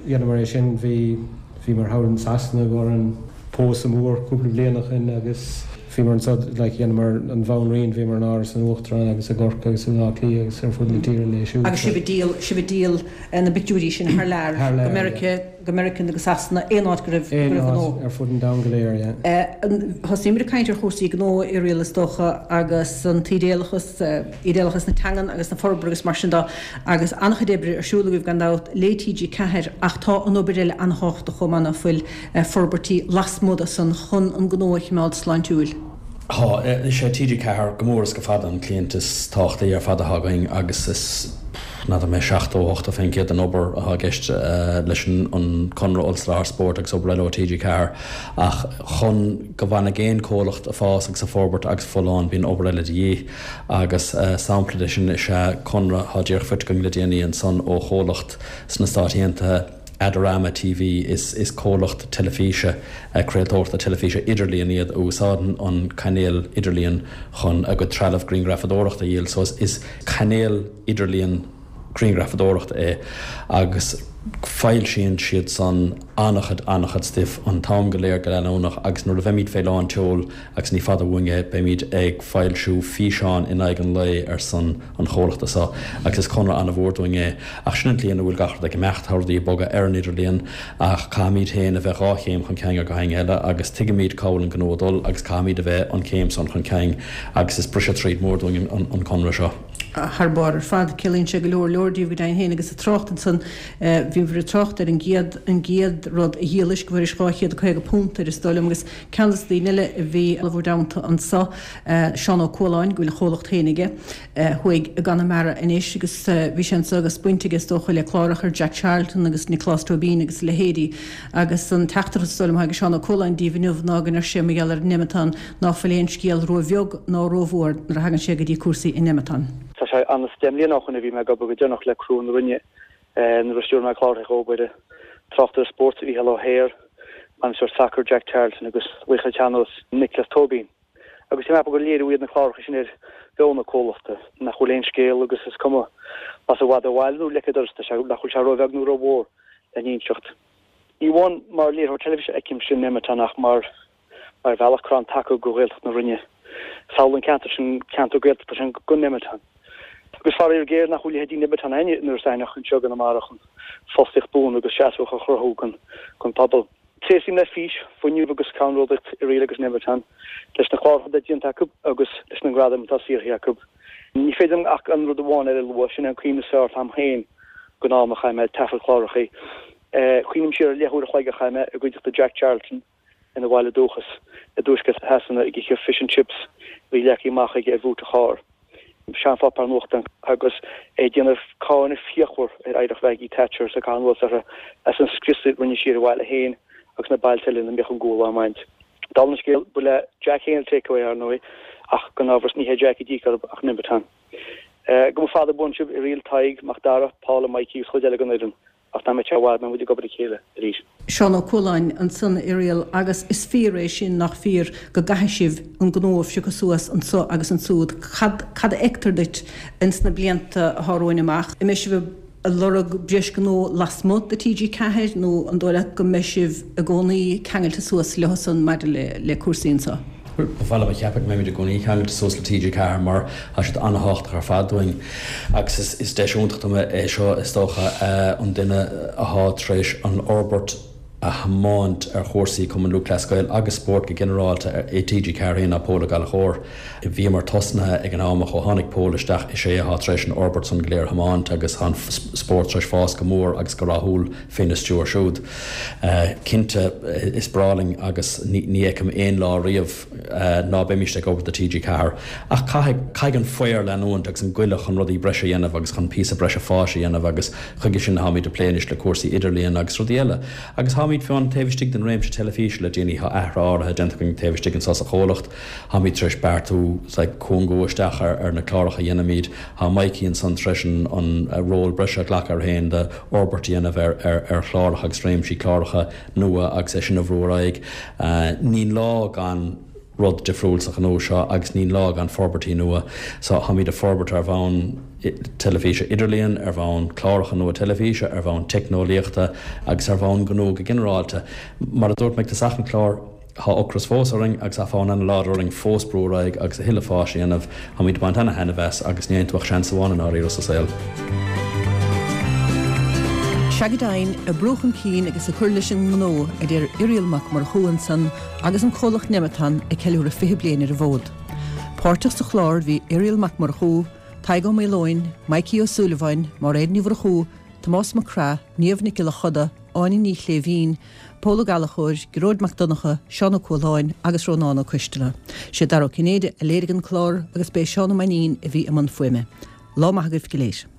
F: dheineamar é sin, bhí, bhíomar thall in Sasana i gcomhair an pósadh mór cúpla bliain ó shin agus. Bhíomar anso, like, dheineamar an Bhanríon, bhíomar in Áras an Uachtaráin agus i gCorcaigh agus i mBleá Cliath agus ar fud na tíre léi siúd.
A: Agus sibh ag díol, sibh ag díol na bpictiúirí sin thar lear,
F: Thar lear,
A: go Meirice,
F: yeah.
A: go Meirice nó go Sasana, aon áit go raibh, go
F: Aon
A: raibh
F: áit
A: gnó.
F: ar fud an domhain go léir, yeah.
A: Thosaíomar ag caint ar chúrsaí gnó Irial is dócha agus an t-ídéalachas, ídéalachas na teangan agus na forbartha agus mar sin de agus an-chuid oibre ar siúl agaibh gan dabht le TG4 ach tá an obair eile an-thábhachtach chomh maith ná fuil? forbairtí lasmuigh de san chun an gnó a chimeád sláintiúil.
B: Tá. Is é TG4 go mór is go fada an cliant is tábhachtaí ar fad atá againn agus is, n'fheadar mé, 70, 80% den obair atá i gceist leis an conradh ollsoláthair spóirt agus obair eile ó TG4. Ach chun go bhfanfaidh aon comhlacht ag fás agus ag forbairt agus folláin bíonn obair eile de dhíth agus sampla de sin is ea conradh atá díreach faighte againn le déanaí ansan ó chomhlacht sna Stáit Aontaithe, Adorama TV, Is comhlacht teilifíse, craoltóireachta teilifíse idirlíon iad a úsáideann an cainéal idirlíon chun a gcuid trealamh grianghrafadóireachta a dhíol. So is cainéal idirlíon grianghrafadóireachta é agus foilsíonn siad san an-chuid, an-chuid stuif an t-am go léir go leanúnach agus nuair a bheimid fé lán tseoil agus ní fada uainn é, beimid ag foilsiú físeán in aghaidh an lae ar son an chomhlachta so agus is conradh an-mhór dúinn é. Ach sin an tslí ina bhfuil gach rud ag imeacht, tá rudaí ag bogadh ar an idirlíon ach caithfimid féin a bheith dhá chéim chun cinn ar gach éinne eile agus tuigimid cá bhfuil an gnó ag dul agus caithfimid a bheith an chéim san chun cinn agus is briseadh tríd mór dúinn an conradh seo.
A: Thar barr ar fad. Ciallaíonn sé go leor leor díobh go deimhin féin agus ag trácht ansan, bhíobhair ag trácht ar an gcéad, an gcéad rud a dhíolais go bhfuairis £250 air is dóigh liom agus ceann de na daoine eile a bhí i bhur dteannta anso, Seán Ó Cualáin, go bhfuil a chomhlacht féin aige. thuaidh i gConamara anois agus bhí sé anso agus baint aige is dócha le cláracha ar Jack Charlton agus Nioclás Tóibín agus a leithéidí agus an teachtaireacht is dóigh liom atá ag Seán Ó Cualáin daoibh inniu ná go ndeir sé mar gheall ar Nemeton ná fuil aon scéal ró-bheag ná ró-mhór nuair a thagann sé go dtí cúrsaí i Nemeton.
E: Tá sé anuas 10 mbliana ó shoin a bhí mé ag obair go deireanach le criú na Rinne nuair a stiúir mé cláracha dhóibh ar tráchtaire spóirt Mhícheál Ó hEithir, bainisteoir sacair Jack Charlton agus laoch an tsean-nóis Nioclás Tóibín. Agus tá mé ag ceapadh gur léiriú iad na cláracha sin ar mheon an chomhlachta, nach bhfuil aon scéal agus is cuma más i bhfad ó bhaile nó leic an dorais atá sé, nach bhfuil sé róbheag nó rómhór le n-inseacht. Ní amháin mar léiritheoir teilifíse a fheicimse Nemeton ach mar mar bhealach crann taca go Ghaeltacht na Rinne. Samhlaigh an ceantar sin, ceantar Gaeltachta sin gan Nemeton. Agus faraor géar nach bhfuil leithéidí Nemeton againne in Iorras Aithneach anseo i gConamara chun fostaíocht buan agus seasmhach a chruthú don phobal. Tréaslaím le fís, fuinneamh agus ceannródaíocht Irial agus Nemeton, leis na cláracha atá déanta acu agus leis na gradaim atá saothraithe acu. Ní féidir liom ach an rud amháin eile a lua, sin é an cuimhne is fearr atá agam féin den am a chaith mé ag taifead cláracha. Cuimhním siar ar leathuair a chloig a chaith mé i gcuideachta Jack Charlton ina bhaile dúchais i dtuaisceart Shasana ag ithe fish and chips a bhí leagtha amach aige ar bhúit a chairr. seanpháipéar nuachtáin agus é ag déanamh cáineadh fíochmhar ar oidhreacht Mhaggie Thatcher is ag caitheamh anuas uirthi as an scrios a rinne sí ar a bhaile féin agus na bailte eile ina mbíodh an gual á mbaint. Dála an scéil, ba le Jack féin an takeaway, ar ndóigh, ach gan amhras ní hé Jack a d'íoc orthu ach Nemeton. Go mba fada buan sibh, Irial, Tadhg, Mac Dara, Paula, Mikey agus chuid eile den fhoireann. Ach nach mbeidh sé i bhfad mbeidh muid ag obair le chéile arís.
A: Seán Ó Cualáin ansan, Irial, agus is fíor é sin, nach fíor, go gcaithfidh sibh an gnó a phiocadh suas anso agus ansúd. Cad, cad a fheictear duit ins na blianta athá romhainn amach? An mbeidh sibh ag lorg breis gnó lasmuigh de TG4 nó an dóigh leat go mbeidh sibh i gcónaí ceangailte suas leothusan maidir le, le cúrsaí anso?
B: Ba mhaith liom a cheapadh go mbeimid i gcónaí ceangailte suas le TG4 mar tá siad an-thábhachtach ar fad dúinn agus is deis iontach dom é seo is dócha an duine athá tar éis an fhorbairt a thiomáint ar chúrsaí Cumann Lúthchleas Gael agus spórt go ginearálta i TG4 féin ná Pól Ó Gallchóir. Bhíomar tosnaithe ag an am ach ó tháinig Pól isteach is é athá tar éis an fhorbairt san go léir a thiomáint agus tá an spórt tar éis fás go mór agus go rathúil féna stiúir siúd. Cinnte, is breá linn agus ní fheicim aon lá riamh ná beimíst ag obair do TG4. Ach caithfidh, caithfidh an faobhar leanúint agus an goile chun rudaí breise a dhéanamh agus chun píosa breise fáis a dhéanamh agus chuige sin táimid ag plé anois le cúrsaí idirlíon agus rudaí eile. Agus táimid fiú taobh istigh den réimse teilifíse le déanaí, tá athruithe áirithe déanta againn taobh istigh anso sa chomhlacht. Táimid tar éis beartú like cúngú isteach ar na cláracha a dhéanaimid. Tá Mikey ansan tar éis an ról breise a ghlacadh air féin de fhorbairt a dhéanamh ar chláracha agus réimsí cláracha nua agus é sin a bhrú ar aghaidh. Níl lá gan rud difriúil sa ghnó seo agus níl lá gan forbairtí nua. So táimid ag forbairt ar bhonn teilifíse idirlíon, ar bhonn cláracha nua teilifíse, ar bhonn teicneolaíochta agus ar bhonn gnó go ginearálta. Mar a dúirt mé ag tosach an chláir. Tá ocras fós orainn agus tá fonn an-láidir orainn fós brú ar aghaidh agus a thuilleadh fáis a dhéanamh. Táimid ag baint ana-thaitneamh as agus ní fhaigheann tú ach seans amháin i ndáiríre sa saol.
A: Sea go deimhin, ag brú chun cinn agus ag cur leis an ngnó, a deir Irial Mac Murchú ansan agus an comhlacht Nemeton ag ceiliúradh 20 bliain ar an bhfód. Páirteach sa chlár bhí Irial Mac Murchú, Tadhg Ó Maoileoin, Mikey Ó Súilleabháin, Máiréad Ní Mhurchú, Tomás Mac Craith, Niamh Nic Giolla Choda, Áine Ní Chléibhín, Pól Ó Gallchóir, Gearóid Mac Donncha, Seán Ó Cualáin agus Rónán Ó Coisteala. Sé Dara Ó Cinnéide a léirigh an clár agus b'é Seán Ó Mainnín a bhí i mbun fuaime. Lá maith agaibh go léir.